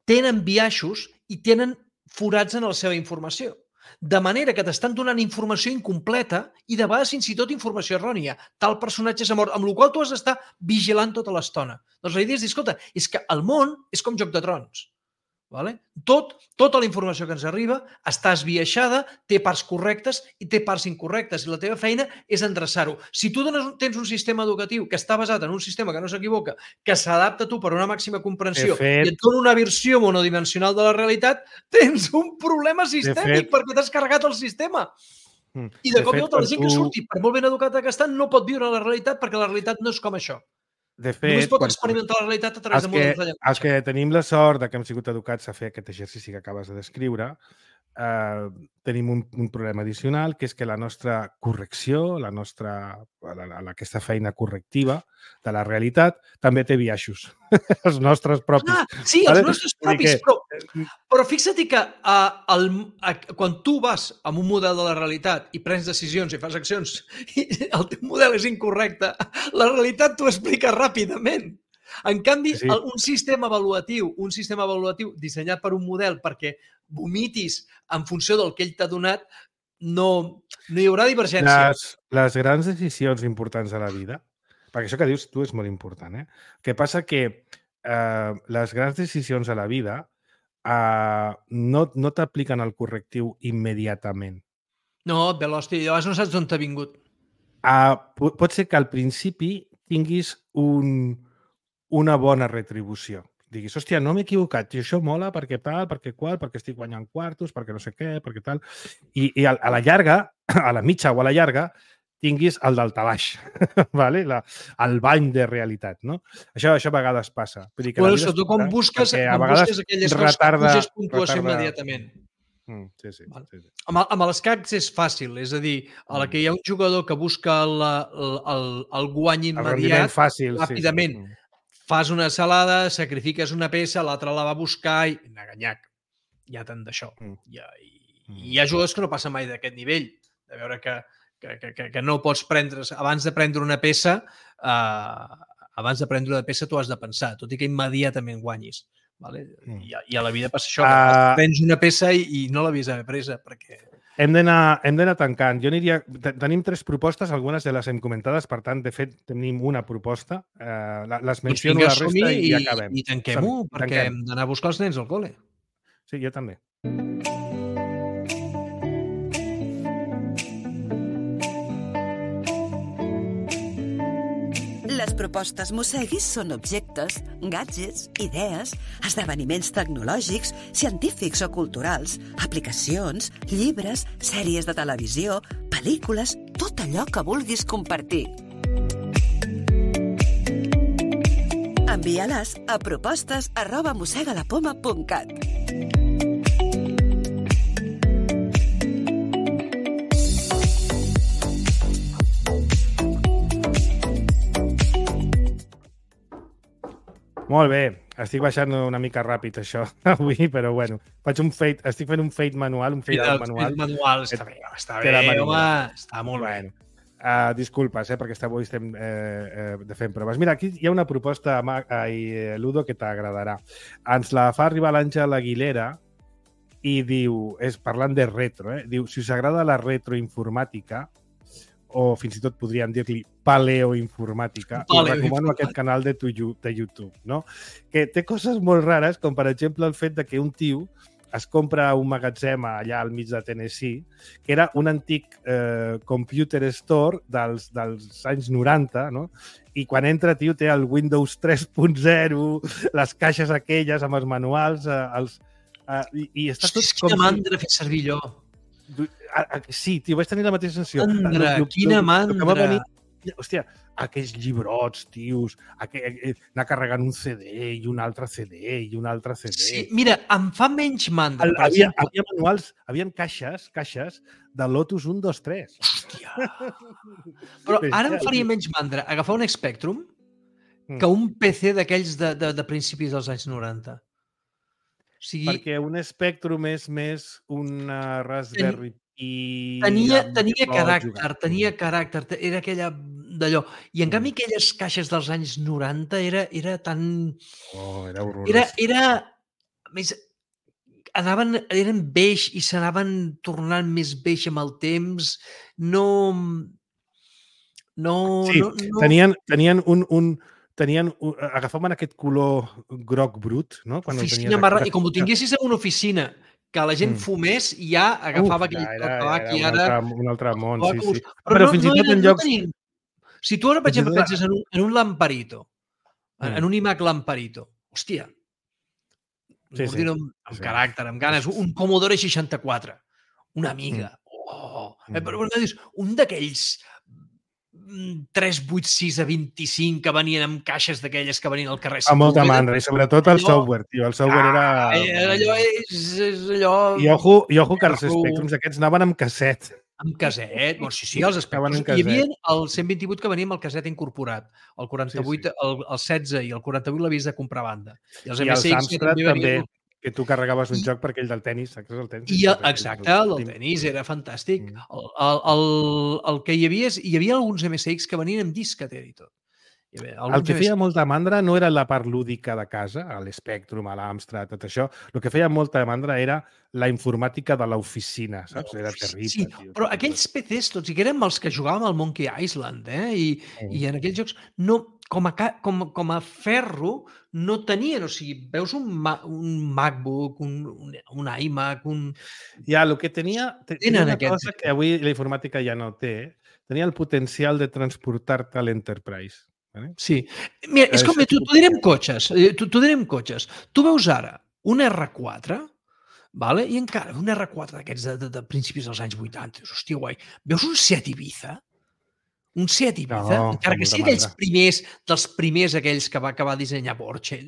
tenen biaixos i tenen forats en la seva informació. De manera que t'estan donant informació incompleta i de vegades fins i tot informació errònia. Tal personatge s'ha mort, amb la qual tu has d'estar vigilant tota l'estona. Doncs la idea és dir, escolta, és que el món és com Joc de Trons. Vale? Tot, tota la informació que ens arriba està esbiaixada, té parts correctes i té parts incorrectes, i la teva feina és endreçar-ho. Si tu dones, tens un sistema educatiu que està basat en un sistema que no s'equivoca, que s'adapta a tu per una màxima comprensió fet, i et dona una versió monodimensional de la realitat, tens un problema sistèmic fet, perquè t'has carregat el sistema. I de, de cop i volta la gent tu... que surti, per molt ben educada que està, no pot viure la realitat perquè la realitat no és com això. De fet, només pot experimentar la realitat a través de models de llenguatge. Els que tenim la sort de que hem sigut educats a fer aquest exercici que acabes de descriure, eh, tenim un, un problema addicional, que és que la nostra correcció, la nostra, la, la, aquesta feina correctiva de la realitat, també té biaixos. Els nostres propis. Ah, sí, els nostres propis, que... però, però fixa't que uh, el, uh, quan tu vas amb un model de la realitat i prens decisions i fas accions i el teu model és incorrecte, la realitat t'ho explica ràpidament. En canvi, sí. un sistema avaluatiu, un sistema avaluatiu dissenyat per un model perquè vomitis en funció del que ell t'ha donat, no, no hi haurà divergència. Les, les grans decisions importants de la vida, perquè això que dius tu és molt important, eh? El que passa que eh, les grans decisions de la vida eh, no, no t'apliquen el correctiu immediatament. No, Velosti, llavors no saps d'on t'ha vingut. Uh, pot ser que al principi tinguis un, una bona retribució. Diguis, hòstia, no m'he equivocat, i això mola perquè tal, perquè qual, perquè estic guanyant quartos, perquè no sé què, perquè tal. I, i a, a la llarga, a la mitja o a la llarga, tinguis el daltabaix, vale? La, el bany de realitat, no? Això, això a vegades passa. Vull dir que bueno, sobretot quan busques, quan busques aquelles coses que puges puntuació retarda... immediatament. Mm, sí, sí, vale. sí, sí. Amb, amb els cacs és fàcil, és a dir, a la que hi ha un jugador que busca el, el, el, el guany immediat, el fàcil, ràpidament, sí, sí. Fas una salada, sacrifiques una peça, l'altra la va buscar i n'aganyac. Hi ha tant d'això. Mm. Hi, ha, i, mm. hi ha jugadors que no passen mai d'aquest nivell, de veure que, que, que, que no pots prendre, abans de prendre una peça, eh, abans de prendre una peça tu has de pensar, tot i que immediatament guanyis. Vale? Mm. I, I a la vida passa això, que uh... prens una peça i, i no l'havies d'haver presa, perquè Hem d'anar hem d'anar tancant. Jo aniria... Tenim tres propostes, algunes de les hem comentades, per tant, de fet, tenim una proposta. Eh, les menciono la resta i, i acabem. I tanquem-ho, perquè tanquem. hem d'anar a buscar els nens al col·le. Sí, jo també. Les propostes Mosseguis són objectes, gadgets, idees, esdeveniments tecnològics, científics o culturals, aplicacions, llibres, sèries de televisió, pel·lícules, tot allò que vulguis compartir. Envia-les a propostes arroba mossegalapoma punt cat. Molt bé. Estic baixant una mica ràpid, això, avui, però bueno. Faig un fade, estic fent un fade manual, un fade out manual. El manual està bé, està bé, home, està molt bé. Bueno. Uh, disculpes, eh, perquè avui estem eh, eh, fent proves. Mira, aquí hi ha una proposta, eh, Ludo, que t'agradarà. Ens la fa arribar l'Àngel Aguilera i diu, és parlant de retro, eh, diu, si us agrada la retroinformàtica, o fins i tot podríem dir-li paleoinformàtica, us recomano aquest canal de, tu, de YouTube, no? Que té coses molt rares, com per exemple el fet de que un tio es compra un magatzem allà al mig de Tennessee, que era un antic eh, computer store dels, dels anys noranta, no? I quan entra, tio, té el Windows tres punt zero, les caixes aquelles amb els manuals, eh, els, eh, i, i està tot com... Quina mandra fer servir allò. Sí, tio, vaig tenir la mateixa sensació. Mandra, quina mandra. Venir, hòstia, aquells llibrots, tios, aquell, anar carregant un C D i un altre C D i un altre C D. Sí, mira, em fa menys mandra. El, havia, havia manuals, havia caixes, caixes de Lotus un, dos, tres. Hòstia. Però ara em faria menys mandra agafar un Spectrum que un P C d'aquells de, de, de principis dels anys noranta. O sigui, perquè un Spectrum és més una Raspberry Pi... Tenia, tenia caràcter, tenia caràcter, era aquella d'allò. I en canvi aquelles caixes dels anys noranta era, era tan... Oh, era horrorós. Era, era... Més, anaven, eren beix i s'anaven tornant més beix amb el temps. No... No... Sí, no, no... tenien, tenien un... un tenien, agafaven aquest color groc brut, no? Quan oficina marrà, i com ho tinguessis en una oficina que la gent fumés, ja agafava aquell tabac i ara... Un altre món, sí, sí. Però fins i tot en llocs... Si tu ara, per exemple, penses en un, en un lamparito, en un iMac lamparito, hòstia, un ordinador amb caràcter, amb ganes, un Commodore seixanta-quatre, una amiga, oh, però dius, un d'aquells tres vuit sis a vint-i-cinc que venien amb caixes d'aquelles que venien al carrer. A molta mandra, i sobretot el software, tio. El software era... Allò és allò... I ojo, i ojo que els Spectrums aquests anaven amb casset. Amb casset? Bueno, sí, sí, els Spectrums. Hi havia el cent vint-i-vuit que venia amb el casset incorporat. El quaranta-vuit, el, el setze i el quaranta-vuit l'havies de comprar a banda. I els, I els Amstrad també, que tu carregaves un joc perquè el del tenis, saps el tenis? I el, exacte, el del tenis era fantàstic. Mm. El, el, el, el que hi havia, hi havia alguns M S X que venien amb disqueter i tot. El que feia molta mandra no era la part lúdica de casa, l'Spectrum, l'Amstrad, tot això. El que feia molta mandra era la informàtica de l'oficina, saps? Era terrible. Sí, tio. Però aquells P Cs, tots i que érem els que jugàvem al Monkey Island, eh? I, mm. i en aquells jocs, no, com, a, com, com a ferro, no tenien, o sigui, veus un, un MacBook, un, un, un iMac, un... Ja, el que tenia... Tenia una aquest... cosa que avui la informàtica ja no té, tenia el potencial de transportar-te a l'Enterprise. Vale? Sí. Mira, és com, tu, tu direm cotxes, tu, tu direm cotxes. Tu veus ara un R quatre, vale? I encara un R quatre d'aquests de, de, de principis dels anys vuitanta, dius, hòstia, guai. Veus un Seat Ibiza? Un Seat Ibiza? No, encara que sigui aquells primers, dels primers aquells que va, que va dissenyar Porsche.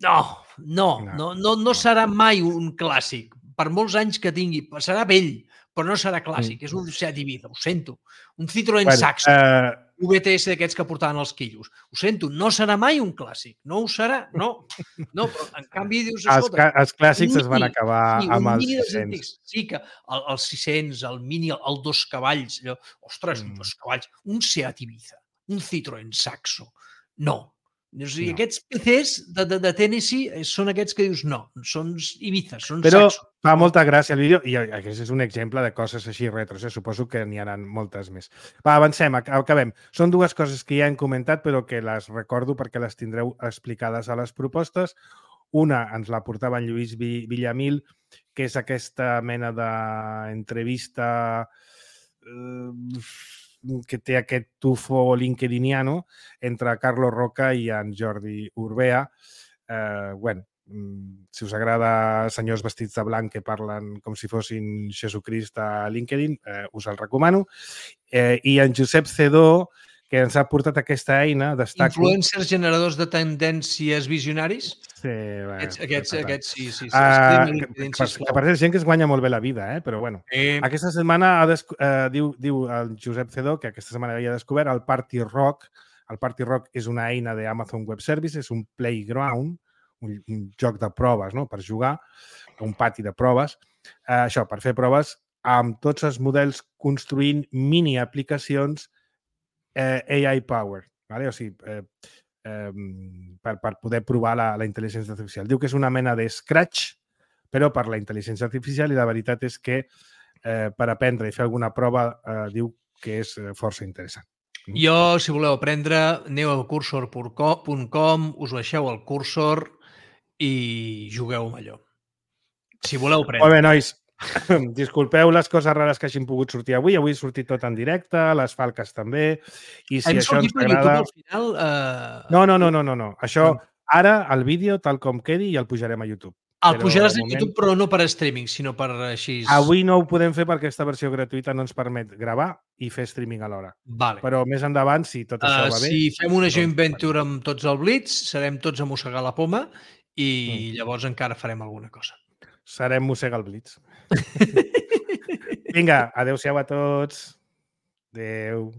No, no, no, no, no serà mai un clàssic. Per molts anys que tingui, serà vell, però no serà clàssic. Mm. És un Seat Ibiza, ho sento. Un Citroën bueno, Saxo. Uh... V T S d'aquests que portaven els quillos. Ho sento, no serà mai un clàssic. No ho serà, no. No, però en canvi dius... Els, els clàssics mini, es van acabar sí, amb els sis-cents. Sí, que el, el sis-cents, el Mini, el, el dos cavalls, allò, ostres, mm. dos cavalls, un Seat Ibiza, un Citroën Saxo. No, O sigui, no. Aquests P Cs de, de, de Tennessee són aquests que dius no, són Ibiza, són Però saxos. fa molta gràcia el vídeo i aquest és un exemple de coses així retros, eh? Suposo que n'hi ha moltes més. Va, avancem, acabem. Són dues coses que ja hem comentat però que les recordo perquè les tindreu explicades a les propostes. Una ens la portava en Lluís Villamil, que és aquesta mena d'entrevista eh, que té aquest tufo linkediniano entre Carlos Roca i en Jordi Urbea. Eh, bueno, si us agrada senyors vestits de blanc que parlen com si fossin Jesucrist a LinkedIn, eh, us el recomano. Eh, I en Josep Cedó, que ens ha portat aquesta eina, destaco... Influencers generadors de tendències visionaris? Sí, bueno, aquests, aquests, aquests, sí, sí. sí. Uh, que, que, per, que per cert, gent que es guanya molt bé la vida, eh? Però bueno. Eh... Aquesta setmana ha des... uh, diu, diu el Josep Cedó que aquesta setmana havia descobert el Party Rock. El Party Rock és una eina d'Amazon Web Services, un playground, un, un joc de proves, no?, per jugar, un pati de proves. Uh, això, per fer proves amb tots els models construint mini aplicacions eh, A I powered, ¿vale? O sigui, eh, eh, per, per poder provar la, la intel·ligència artificial. Diu que és una mena de Scratch, però per la intel·ligència artificial, i la veritat és que eh, per aprendre i fer alguna prova eh, diu que és eh, força interessant. Jo, si voleu aprendre, aneu a cursor punt com, us baixeu el cursor i jugueu amb allò. Si voleu aprendre. Molt bé, nois. Disculpeu les coses rares que hagin pogut sortir avui. Avui he sortit tot en directe, les falques també. I si Hem això ens sortit agrada... al final... Uh... No, no, no, no, no, no. Això, ara, el vídeo, tal com quedi, i el pujarem a YouTube. El pujaràs a YouTube, però no per streaming, sinó per així... Avui no ho podem fer perquè aquesta versió gratuïta no ens permet gravar i fer streaming alhora. Vale. Però més endavant, si tot això uh, va bé... Si fem una joint venture amb tots el Blitz, serem tots a mossegar la poma i mm. llavors encara farem alguna cosa. Serem mossega el Blitz. Vinga, adeu-siau a tots. Adeu.